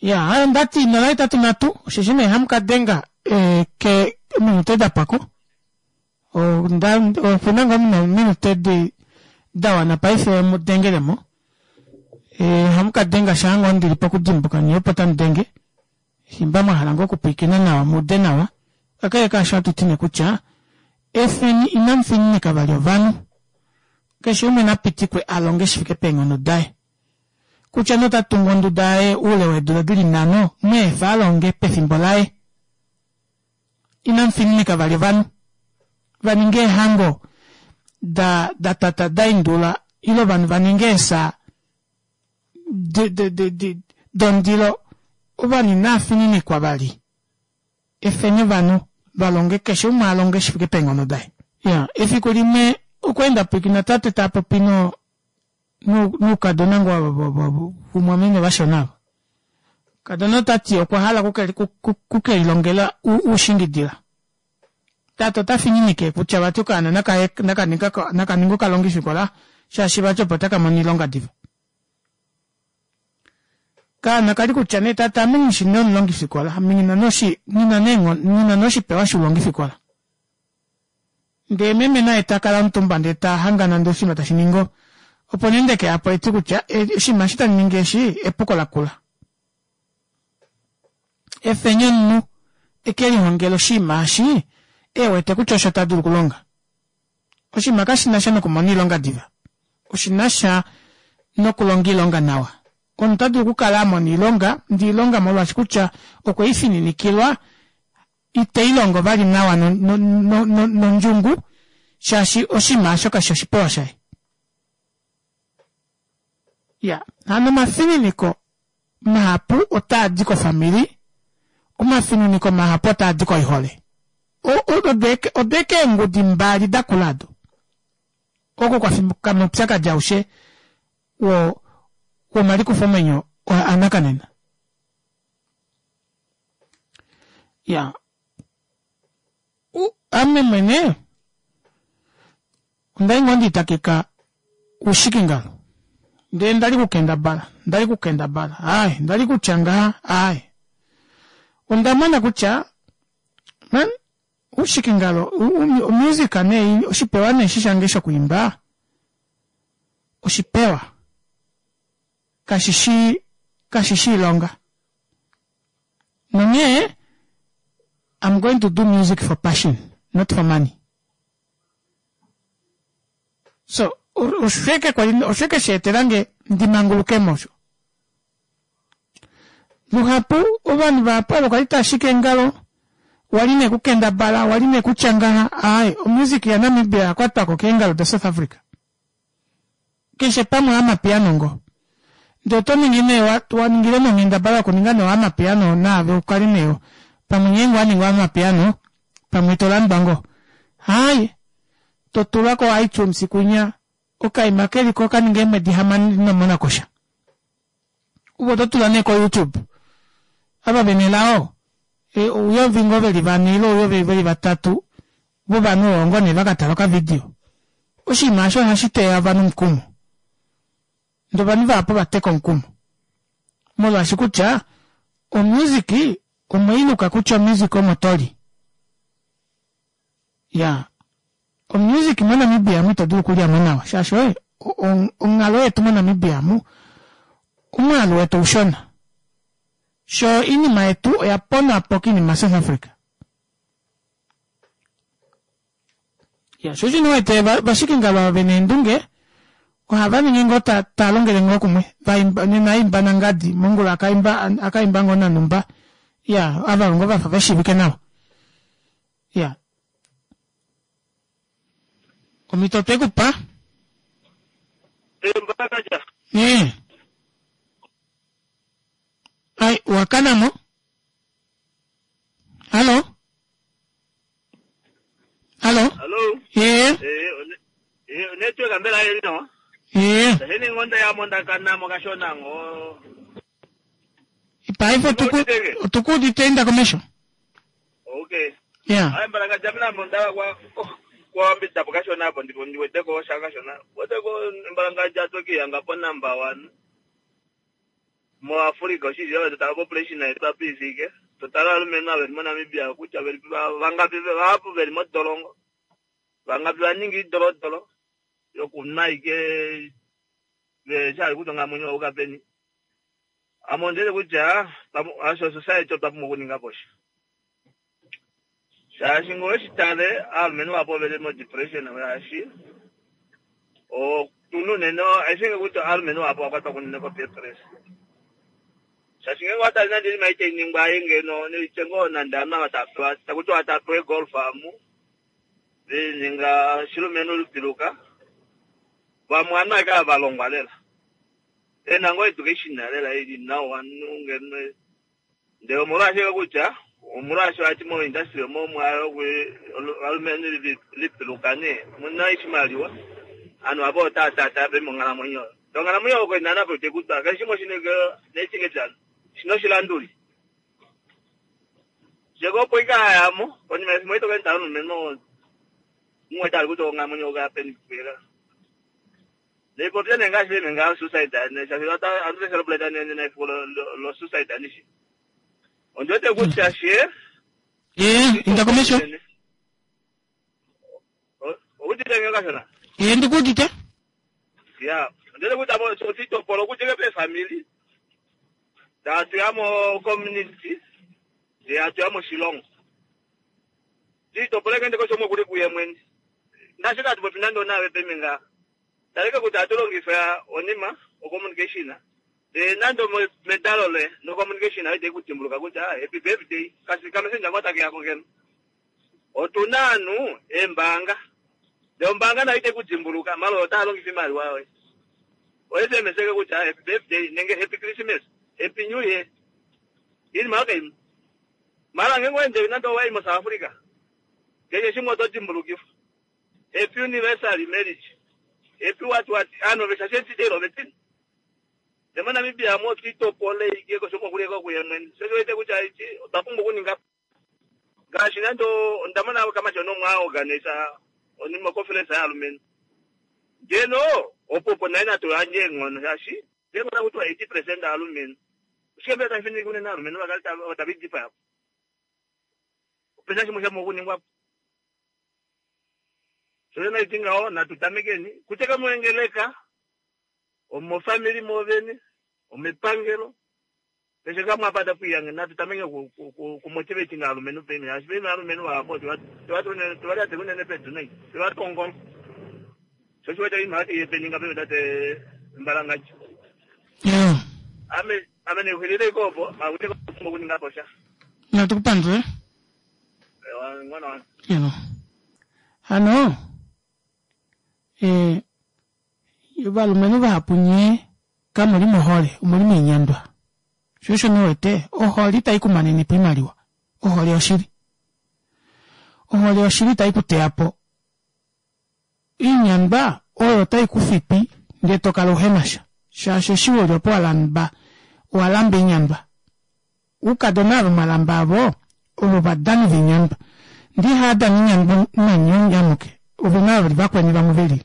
Ya, hayo ndati 083 osheshi nee hamu ka denga eh, ke minute da pwako. Onda opu na ngoo minute di da wana paife mu dengele mo. Ohamu ka denga shaa ngoo ndili pokudimbuka nye opo tamu denge. Shimba mwa hala ngoo okupwiikina nawa mu ude nawa. Kakele kaasho ohatu ti nee kutya efeni inamu fininika vali ovanhu. Keshe umwe na pitikwe a longe shi fike peenghono daye. Kutya nee ota tungu onduda yaye oule weedula dili nhano, mu efa a longe pefimbo laye. Inamu fininika vali ovanhu va ninge eehango da da tata da indula ile ovanhu va ninge eesa dondilo. Ovanhu inava fininikwa vali. Efeni ovanhu va longe keshe umwe a longe shi fike peenghono daye. Ya, efiku limwe okwa enda pwiikina tate ta popi no noukadona ngoo vumwameme vashona ava. Kadona ota ti okwa hala okukelilongela uushingidila. Tate ota fininike kutya vati okaana naka ninge okalongifikola shaashi vati opo taka mono oilonga diva. Kaana kali kutya nee tate ame nghi shi nee omulongifikola, ame nghi na nee oshipewa shoulongifikola. Ndee meme naye ta kala omutumba ndee ta hangana ndee oshinima tashi ningi opo nee ndeke ya po eti kutya oshinima eshi tamu ningi eshi epuko lakula. Efeni omunhu eke lihongele oshinima eshi e wete kutya osho ta dulu okulonga. Oshinima kashi na sha nokumona oilonga diva, oshi na sha nokulonga oilonga nawa. Omunhu ota dulu okukala a mona oilonga ndee oilonga molwaashi kutya okwe i fininikilwa ite i longo vali nawa nondjungu shaashi oshinima osho kashi oshipewa shaye. Ya, hano omafininiko mahapu otaa di kofamili, omafininiko mahapu otaa di koihole. Odo eke eengudi mbali da kula ado. Oko kwa fikama oupyakadi aushe womalikufomwenyo anakanena. Ya, ame mwene onda li ngoo ndiitakeka uushikingalo ndee ndali kukendabala ndali kukendabala aaye ndali kutya ngaha aaye onda mona kutya man uushikingalo omusic nee oshipewa nee eshi shange shokwiimba oshipewa kashi shi kashi shi iilonga nonghee I'm going to do music for passion not for money so oshike kwali oshike sha etelange ndi manguluke mo osho luhapu ovanhu vahapu ava kwali tava shiki eengalo wali nee kukendabala wali nee kutya ngaha aaye omusic yaNamibia oya kwatwako keengalo daSouth Africa Keshe pamwe amapiano ngo. Ndee oto ningi nee wa ningile nee onghendabala yokuninga nee amapiano naave ukale nee pamwe ngeenge owa ningi amapiano pamwe to landwa ngoo. Haaye to tulwa ko iTunes kunya okaima keliko oka ninga eemwedi hamano ino mona ko sha. Ove oto tula nee ko YouTube. Ava vena elao ouyovi ngoo veli vane ile ouyovi veli vatatu vovanhu ovo ngoo nee vaka tala okavidio. Oshinima osho ohashi teya ovanhu omukumo. Ndee ovanhu vahapu ova teka omukumo molwaashi kutya omusic omweiluka kutya omusic omo toli. Ya omusic moNamibia amu ito dulu okulyamo nawa shaashi oye onghalo yetu moNamibia amu omwaalu wetu oushona sho oinima yetu oya ponwa po koinima South Africa. Ya sho osho wete vashikingalo ava vena eendunge ohava ningi ngoo ta, ta longele ngoo kumwe vaimba nena aimba nangadi mongula akaimba akaimba ngoo nanumba ya ava ngoo vafa veshiivike nawa ya omhito otwe ku pa ee ai wakana mo hallo hallo Hallo. ee Eh, eh, network mbela yeli nawa. ee Heni ngonda ya monda kana mo kashona ngo. paife otukuudite inda komesho Okay. ya Hayi mbala kajamina monda kwa kwa mbita po kashona apo ndipo ndiweteko shaka shona. Weteko mbala ngaja toki yanga po number 1. Mo Africa oshili yo totala population yetu apa ifike. Totala alumenhu ava veli moNamibia kutya veli vangapi vahapu veli modolongo. Vangapi va ninga iidolodolo yokunwa ike. Vehe kutya onghalamwenyo oyuka peni. Ame ondi wete kutya osho society otwa pumbwa okuninga po sha. Shaashi ngee oweshi tale aalumenhu vahapu oveli mo depression shaashi otuna unene I think kutya aalumenhu vahapu ova kwatwa unene ko peer pressure. Shaashi ngeenge owa tale nande oinima ei tai ningwa ei ngeno noitye ngoo nande ovanhu ava tava pewa taku tiwa tava pewa eegolf amu lininga shilumenhu lipiluka vamwe ovanhu ashike ava va longwa lela vena ngoo education lela ili nawa ngeno ndele omolwashike kutya omolwaashi vati mo industry omo ovalumenhu lipiluka nee omuna oshimaliwa ovanhu ava otava taataa peni monghalamwenyo oyo ndee onghalamwenyo oyo koina napo itekutwa keshe shimwe oshina oshilanduli sheko opo ike ayamo konima yefimbo ito kaenda omulumenhu umwe tali kutya onghalamwenyo oyo peni kuyela Nipopye nee ngaashi meme ngaho suicide shaashi ohatu ka celebrate nena efiku lo suicide anishi. Ondi wete kutya she Eh, inda komesho. Owudite nge kashona? Eh, ndikuudite. Ya, ondi wete kutya otitopola okudja peefamili tatu ya mo community ndee hatu ya moshilongo. Titopola eke ndeko shomwe kuli kuye mwene. Ngaashi katu popi nande onaave peme ngaa. Taleka kutya ohatu longifa onima, ocommunication, ndee nande medalo loye nocommunication oyo itai ku dimbuluka kutya happy birthday, kasi kamessenja ngoo take yako ngeno. Otu na ovanhu eembaanga, ndee ombaanga nayo itai ku dimbuluka, mala oyo taa longifa oimaliwa yoye. O SMS ke kutya happy birthday nenge happy Christmas, happy new year. Iinima oyo kaimo. Mala ngeenge owa ende nande owa i moSouth Africa, keshe shimwe oto dimbulukifwa. Happy universary marriage happy what what anhu ove shaashi etitelo ove tini ne moNamibia amu otwiitopola ike kosho mokuleka okuya mwene sho osho wete kutya ichi otwa pumbwa okuninga ngaashi nande onda mona kamatyona omwe a organisa onima oconference yaalumenhu ngeno opo opo naye natu yandje eenghono shaashi ngeenge otaku tiwa 80% aalumenhu oshike mbela tashi fininike unene aalumenhu vakale tava idipaya po opena shimwe sha pumbwa okuningwa po. Sho naiti ngaho natu tamekeni kutya kamuengeleka omofamili moovene omepangelo keshe kamwe apa tapu iyange natu tameke kumotivating aalumenhu peni shaashi peni aalumenhu vahapu tova unene pedu nai tova tongola sho shi wete oinima yote yepeni nga peni tate mbalangadja ame ame nexulile iko opo akute okuninga po sha natu kupandule Hano ovalumenhu vahapu nye kamu li mohole, omu li moinyandwa. Sho osho nee wete ohole itai ku manene po oimaliwa, ohole yoshili. Ohole yoshili itai ku teya po. Oinyandwa oyo otai ku fipi ndee to kala uhe na sha, shaashi eshi u li opo wa lamba, owa lamba oinyandwa. Oukadona ava mwa lamba avo ovo ovadani voinyandwa. Ndee ihava dana oinyandwa nanye amuke, ove na vali vakweni vamwe ve lili.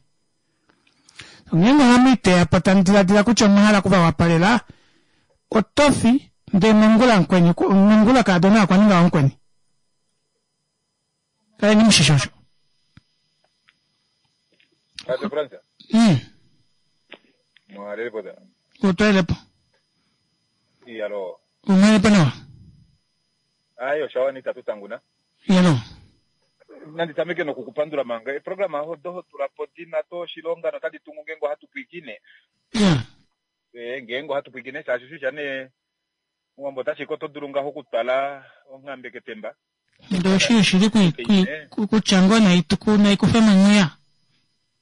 Ngeenge ohamu i teya po tamu diladila kutya omwa hala oku va wapalela, oto fi ndee mongula mukweni, mongula kaadona okwa ninga wamukweni. Kaleni mushishi osho. Tate Fransa. Mwalelepo da. Otwelepo. Iyalo. Umwelepo nawa. Ayo shawa ni tatu tanguna. Iyalo. Nandi tameke nokukupandula manga. Eprograma odo ho tula po di na to oshilonga notadi tungu ngeenge ohatu pwiikine. Yeah. Eh, ngeenge ohatu pwiikine shaashi shusha nee Omuwambo ota shike oto dulu ngaho okutwala onghambe ketemba. Ndele oshi shili kutya ngoo nai kufe monghuya.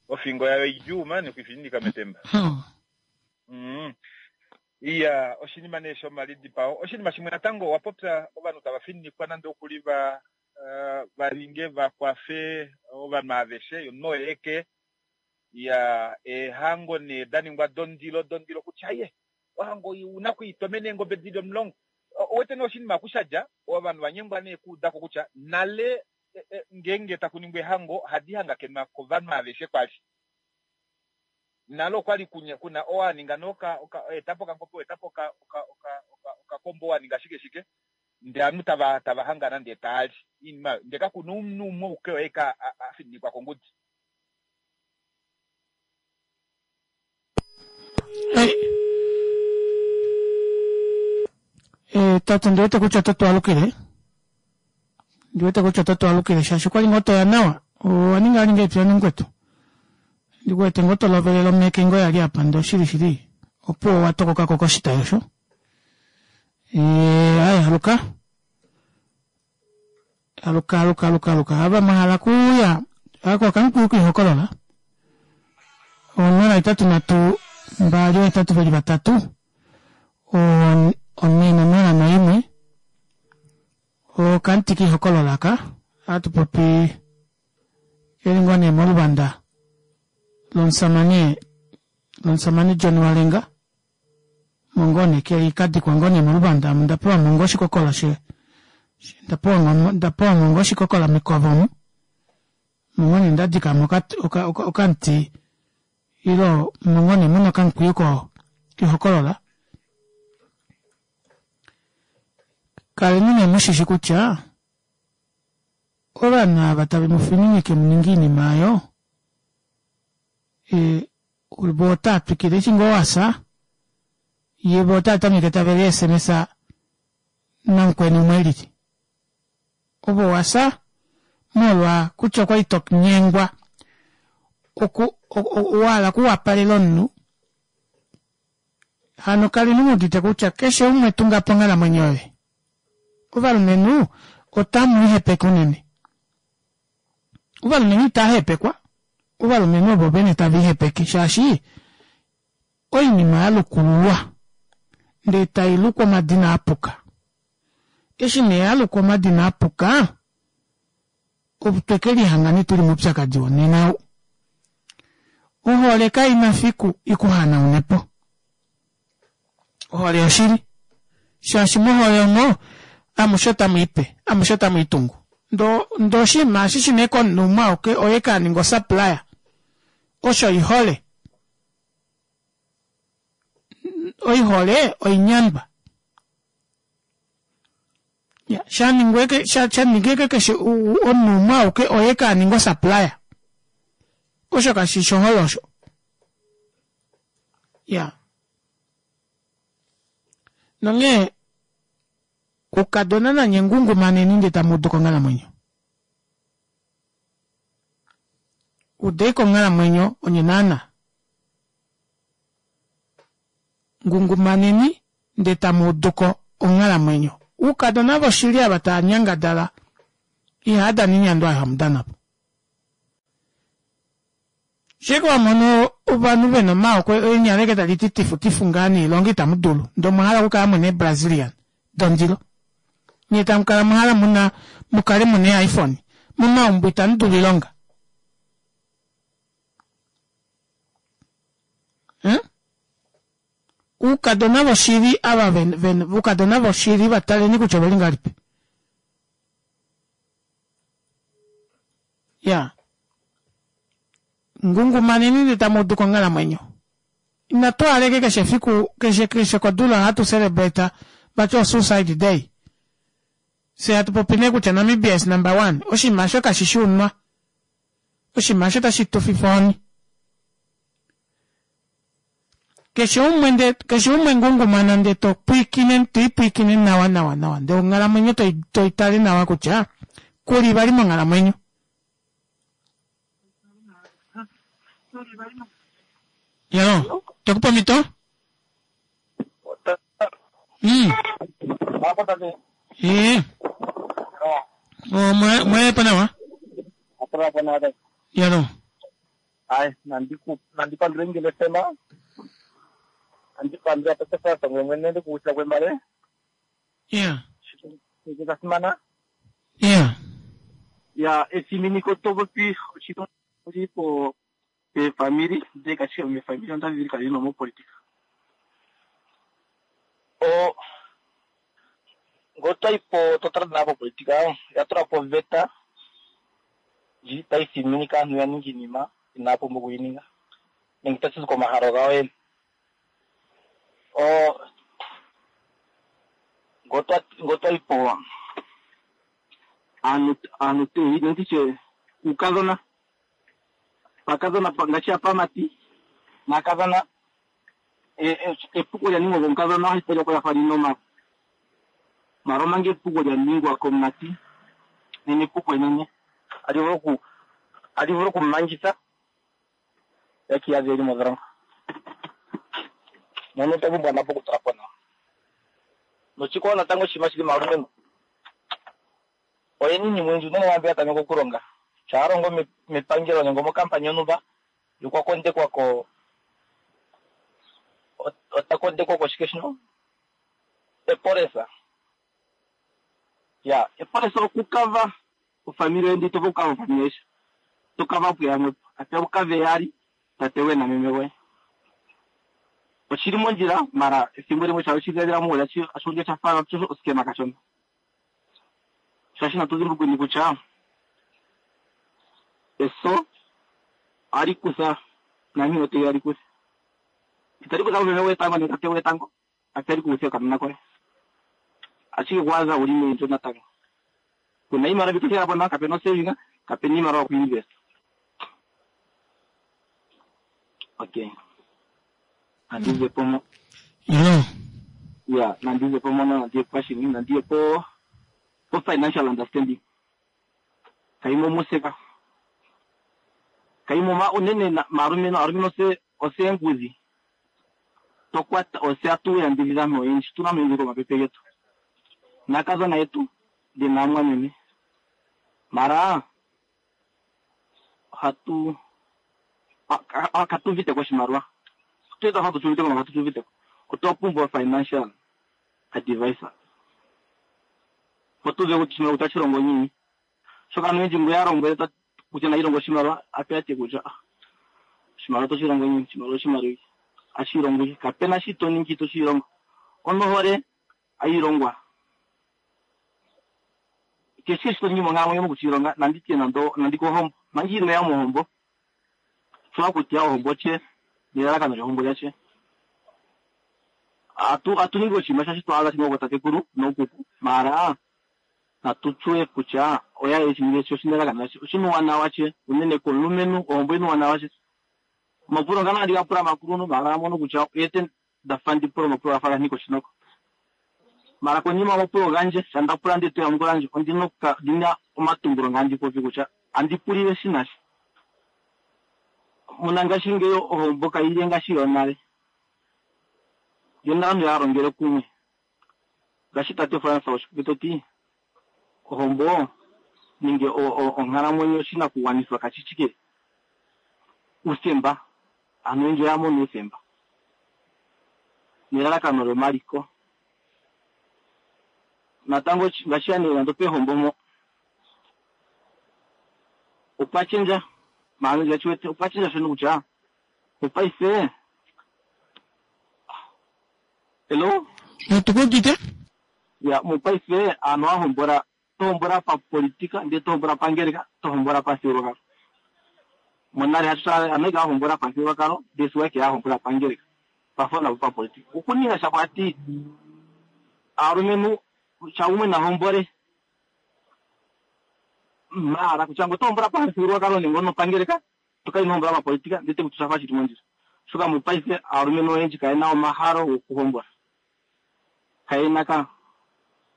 Ofingo yayo idjuu mani okuifininika metemba. Iya, oshinima nee shomalidipao. Oshinima shimwe natango owa popya ovanhu tava fininikwa nande okuli va va linge va kwafe ovanhu aveshe yomunhu oye eke. Iya, eehango nee da ningwa dondilo dondilo kutya ye ohango oyi una okuitomena eengobe dili omulongo. Owete nee oshinima oku sha dja, ovanhu va nyengwa nee okuuda ko kutya nale ngeenge taku ningwa ehango ohadi hangakenwa kovanhu aveshe kwali. Nale okwali kuna oo a ninga nee oka, oka, eta po okangobe, oo eta po oka, oka, oka, oka, okakombo, oo a ninga shike shike, ndee ovanhu tava, tava hangana ndee taa li iinima oyo. Ndee kakuna omunhu umwe auke oye aike a, a fininikwa kongudi. Ei. Eh, tate ndi wete kutya oto twalukile ndi wete kutya oto twalukile shaashi okwali ngoo toya nawa owa ninga ninga epya nomukwetu ndi wete ngoo to lovelele omeke ngoo yali apa ndee oshili shili opuwo wa tokokako koshitayi osho eh, aye aluka aluka aluka aluka aluka ava mwahala kuuya ako okamukwiyu kiihokolola 083 2 823 401 okamuti kiihokolola aka ohatu popi keli ngoo nee moluvanda lomusamane lomusamane John Walenga mo ngoo nee keli kadikwa ngoo nee moluvanda amu ndapewa mo ngoo oshikokola she ndapewa mo ngoo oshikokola mekova omu mo ngoo nee ndadikamo okamuti ile mo ngoo nee muna okamukwiyu kiihokolola kaleni nee mushishi kutya ovanhu ava tave mu fininike mu ninge iinima oyo vo otaa twikile eshi ngoo wasa ye vo otaa tameke tave li sms namukweni umwe elili ove wasa molwa kutya okwali to nyengwa oku wahala okuwapalela omunhu hano kaleni mu udite kutya keshe umwe tunga po onghalamwenyo yoye ovalumenhu otamu ihepeke unene ovalumenhu itaa hepekwa ovalumenhu ovo vene tava ihepeke shaashi oinima ya lukululwa ndee tai lukwa omadina apuka eshi nee ya lukwa omadina apuka otwe ke lihanga nee tuli moupyakadi wonena ou ohole kaina fiku ikuhanaune po ohole yoshili shaashi mohole omo amushe otamu ipe amushe otamu itungu ndo ndo oshinima eshi shina komunhu umwe auke oye kaninga osupplier osho oihole oihole oinyandwa ya shaningwa shaningwa keshe omunhu umwe auke oye kaninga osupplier osho kashi shohole osho ya nonghee ukadona nanye ngungumaneni ndee tamu udu konghalamwenyo udei konghalamwenyo onye naana ngungumaneni ndee tamu uduko onghalamwenyo oukadona voshili ava tava nyangadala ihava dana oinyandwa oyo hamu dana po shike wamono ovanhu vena omaoko eenyala eke tali ti tifu tifu ngaa noilonga itamu dulu ndee omwa hala okukala muna eebrazilian dondilo nyee tamu kala mwahala muna mukale muna ee-iphone momaumbo itamu dulu oilonga hmm? Oukadona voshili ava ven, oukadona voshili vataleni kutya oveli ngahelipi ya ngungumaneni ndee tamu udu konghalamwenyo inatu aleke keshe efiku keshe keshe kodula ohatu celebrate vati o suicide day fye hatu popi nee kutya Namibia is number one oshinima osho kashi shi unwa oshinima osho tashi tu fifa ohoni keshe umwe nde keshe umwe ngungumana nde to pwiikine to ipwiikine nawa nawa nawa ndee onghalamwenyo toi tale nawa kutya kuli vali monghalamwenyo yalo tokupa omhito mm. ee omweepo nawa yalo Ai, nandipandule ngele sema nandipandula petefasa ngwe mwene ndikuwutila kwembale yeah sha simana yeah ya efiminiko topopi oshili po peefamili ndee kashi mefamili onda vili kali nomopolitika o ngoo twaipo totala naa popolitika oya tula po oveta ndji tayi thiminike aantu ya ninge iinima inaya pumbwa okuyininga nenge tashi zi komahalo gawo yene. O ngoo twayipo aantu aantu nenditye uukadhona paakadhona ngaashi apaamati naakadhona Epuko lya ningwa komukadhona ohali talika ko lya fa lina omala. Mara omanga epuko lya ningwa komumati nena epuko enene ali vulu oku ali vulu okumangitha ya kiiyadhe eli modholongo. Mono otwa pumbwa napo okutula po nawa. Noshikwawo natango oshinima shili maalumentu oyena iinima oyindji unene ngaa mbi ya tameka okulonga. Shaa a longo mepangelo nenge mokampani yontumba ye okwa kondekwa ko ota kondekwa koshike shino epolesa. Ya epolesa okukava ofamili yoye ndele ito vulu okukava ofamili aishe. Oto kava puyamwe po. Ate ukave yaali tate goye nameme goye. Oshili mondjila mara ethimbo limwe sha weshi dhiladhila muule otashi ulike sha fa oskema kashona. Shaashi natu dhimbulukweni kutya eso ohali kutha naantu oteya li kuthe. Itali kutha meme goye tango nenge tate goye tango, atali ku kutha okanona koye. Ashike okwaadha wuli meendjo natango. Kuna iimaliwa mbi to thigala po nayo, kapena osaving, kapena iimaliwa yoku invest. Okay. Nandi ze po mo. Yo. Ya, nandi ze po mono, nandi ye pashini, nandi ye po po financial understanding. Kaimo museka. Kaimo ma unene na maalumentu, aalumentu ose ose engudhi. To kwata ose atu yambidhidha aantu oyendji, tuna aantu oyendji komapepe getu. Naakadhona yetu, ndee naamwameme. Mara ohatu katu uvite ko oshimaliwa. Otwe twa fa tu uvite ko, katu uvite ko. Otwa pumbwa financial advisor. Opo tu uve kutya oshimaliwa otashi longo ngiini. Oshoka aantu oyendji ngo ya lombwele kutya nayi longe oshimaliwa, ape ya ti kutya ah, oshimaliwa otoshi longo ngiini? Oshimaliwa oshimaliwa ike. Ohashi longo ike. Kapena shi to ningi ito shi longo. Onohole ayi longwa. Keshe shi to ningi monkalamwenyo moku shi longa, nandi tye nando nandi kohombo. Manga ino ya mohombo, tswa kutya ohombo tye nelalakano lyohombo lyatye. Atu atu ningi oshinima shaashi twa adha shiningwa kootatekulu nookuku, maara natu tsuwe kutya oya ye shi ningi oshinelalakano lyatye. Oshina uuwanawa tye, unene komulumentu ohombo oyina uuwanawa tye. Omapulo ngano ohandi ga pula aakuluntu maara oya mono kutya oyete nda fa ndi pula omapulo ga fa ga nika oshinoko. Mara konima yomapulo gandje, sho nda pula ndele to yamukula ndje, ondi na omatumbulo nga handi popi kutya andi pulile shi na shi. Monangashingeyi ohombo kayi li ngaashi yonale. Yonale aantu ya longele kumwe. Ngaashi tate Frans Oshipopi to ti, ohombo nenge onkalamwenyo oshinakugwanithwa kashi shi uuthemba. Aantu oyendji oya mona uuthemba nelalakano lyomaliko. Natango ngaashi ya nee nando pehombo mpo opwa shendja, maala ndi wete opwa shendja shono kutya mopaife Hello? Natu ku udite. Ya, mopaife aantu ohaya hombola, to hombola papolitika ndele to hombola pangeleka, to hombola pamuthigululwakalo. Monale hasho aantu oya li haya hombola pamuthigululwakalo ndele sigo oya hombola pangeleka, pafo navo papolitika. Okuninga sha kwati aalumentu sha gumwe na hombole maala kutya ngo oto hombola pamuthigululwakalo nenge onopangeleka to kala ino hombola papolitika ndele te kutya osha fa shili mondjila. Oshoka mopaife aalumentu oyendji kaye na omahalo gokuhombola. Kaye na ka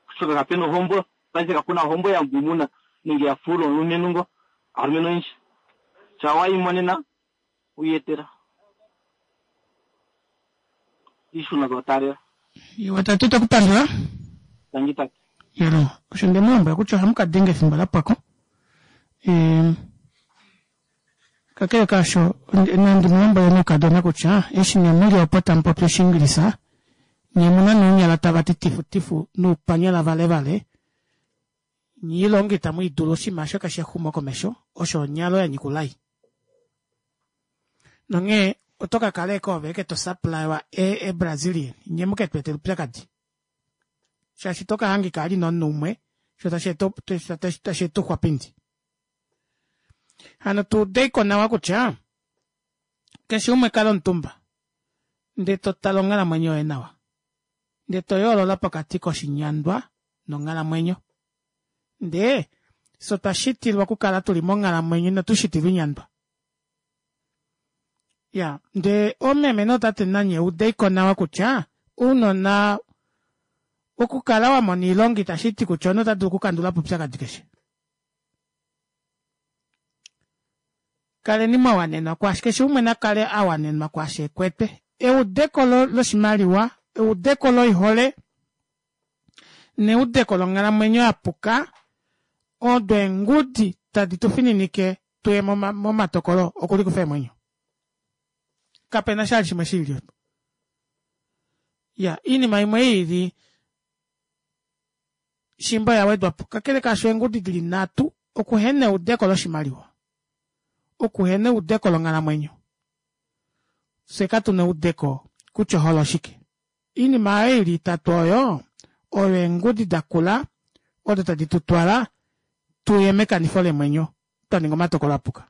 oshoka kape na ohombo paife kakuna ohombo ya ngumuna nenge ya fuula omulumentu ngo. Aalumentu oyendji sha wa imonena wiiyetela iishuna to taalela. Iwa tate to ku pandula. Tangi tate. Yelo, osho nde mu lombwela kutya ohamu ka denga efimbo la pwa ko. Kakele kaasho, nandi mu lombwele nuukadhona kutya eshi ne mu li opo tamu popi Oshiingilisa, nye mu na nuunyala tava ti tifutifu nuupanyala valevale, nye iilonga itamu yi dulu oshinima shoka shexumokomesho osho onyalo ya nyika oulai. Nonghee oto ka kala eke ove eke to supplywa e, e Brazilian, nye mu ke tu etele oupyakadi. Shaashi to ka hangika ali nomunhu umwe, sho tashi eta, tashi eta ouxwapindi. Hano tu udeiko nawa kutya keshe umwe kala omutumba ndee to tala onghalamwenyo yoye nawa ndee to yoolola pokati koshinyandwa nonghalamwenyo. Ndee fye otwa shitilwa okukala tuli monghalamwenyo inatu shitilwa inyandwa. Ya ndee oomeme nootate nanye udeiko nawa kutya ounona okukala wa mona iilonga itashi ti kutya omunhu ota dulu okukandula po oupyakadi keshe. Kaleni mwa wanenwa kwaashi keshe umwe na kale a wanenwa kwaashi e kwete. Eudeko loshimaliwa, eudeko loihole neudeko longhalamwenyo ya puka odo eengudi tadi tu fininike tuye momatokolo okulikufa eemwenyo. Kape na sha shimwe shi lili. Ya, iinima imwe i ili shimba oya wedwa po. Kakele kaasho eengudi di li nhatu, okuhena eudeko loshimaliwa, okuhena eudeko longhalamwenyo. Fye katu na eudeko kutya ohole oshike. Iinima oyo i li itatu oyo, oyo eengudi da kula odo tadi tu twala tu ye mekanifo leemwenyo twa ninga omatokolo a puka.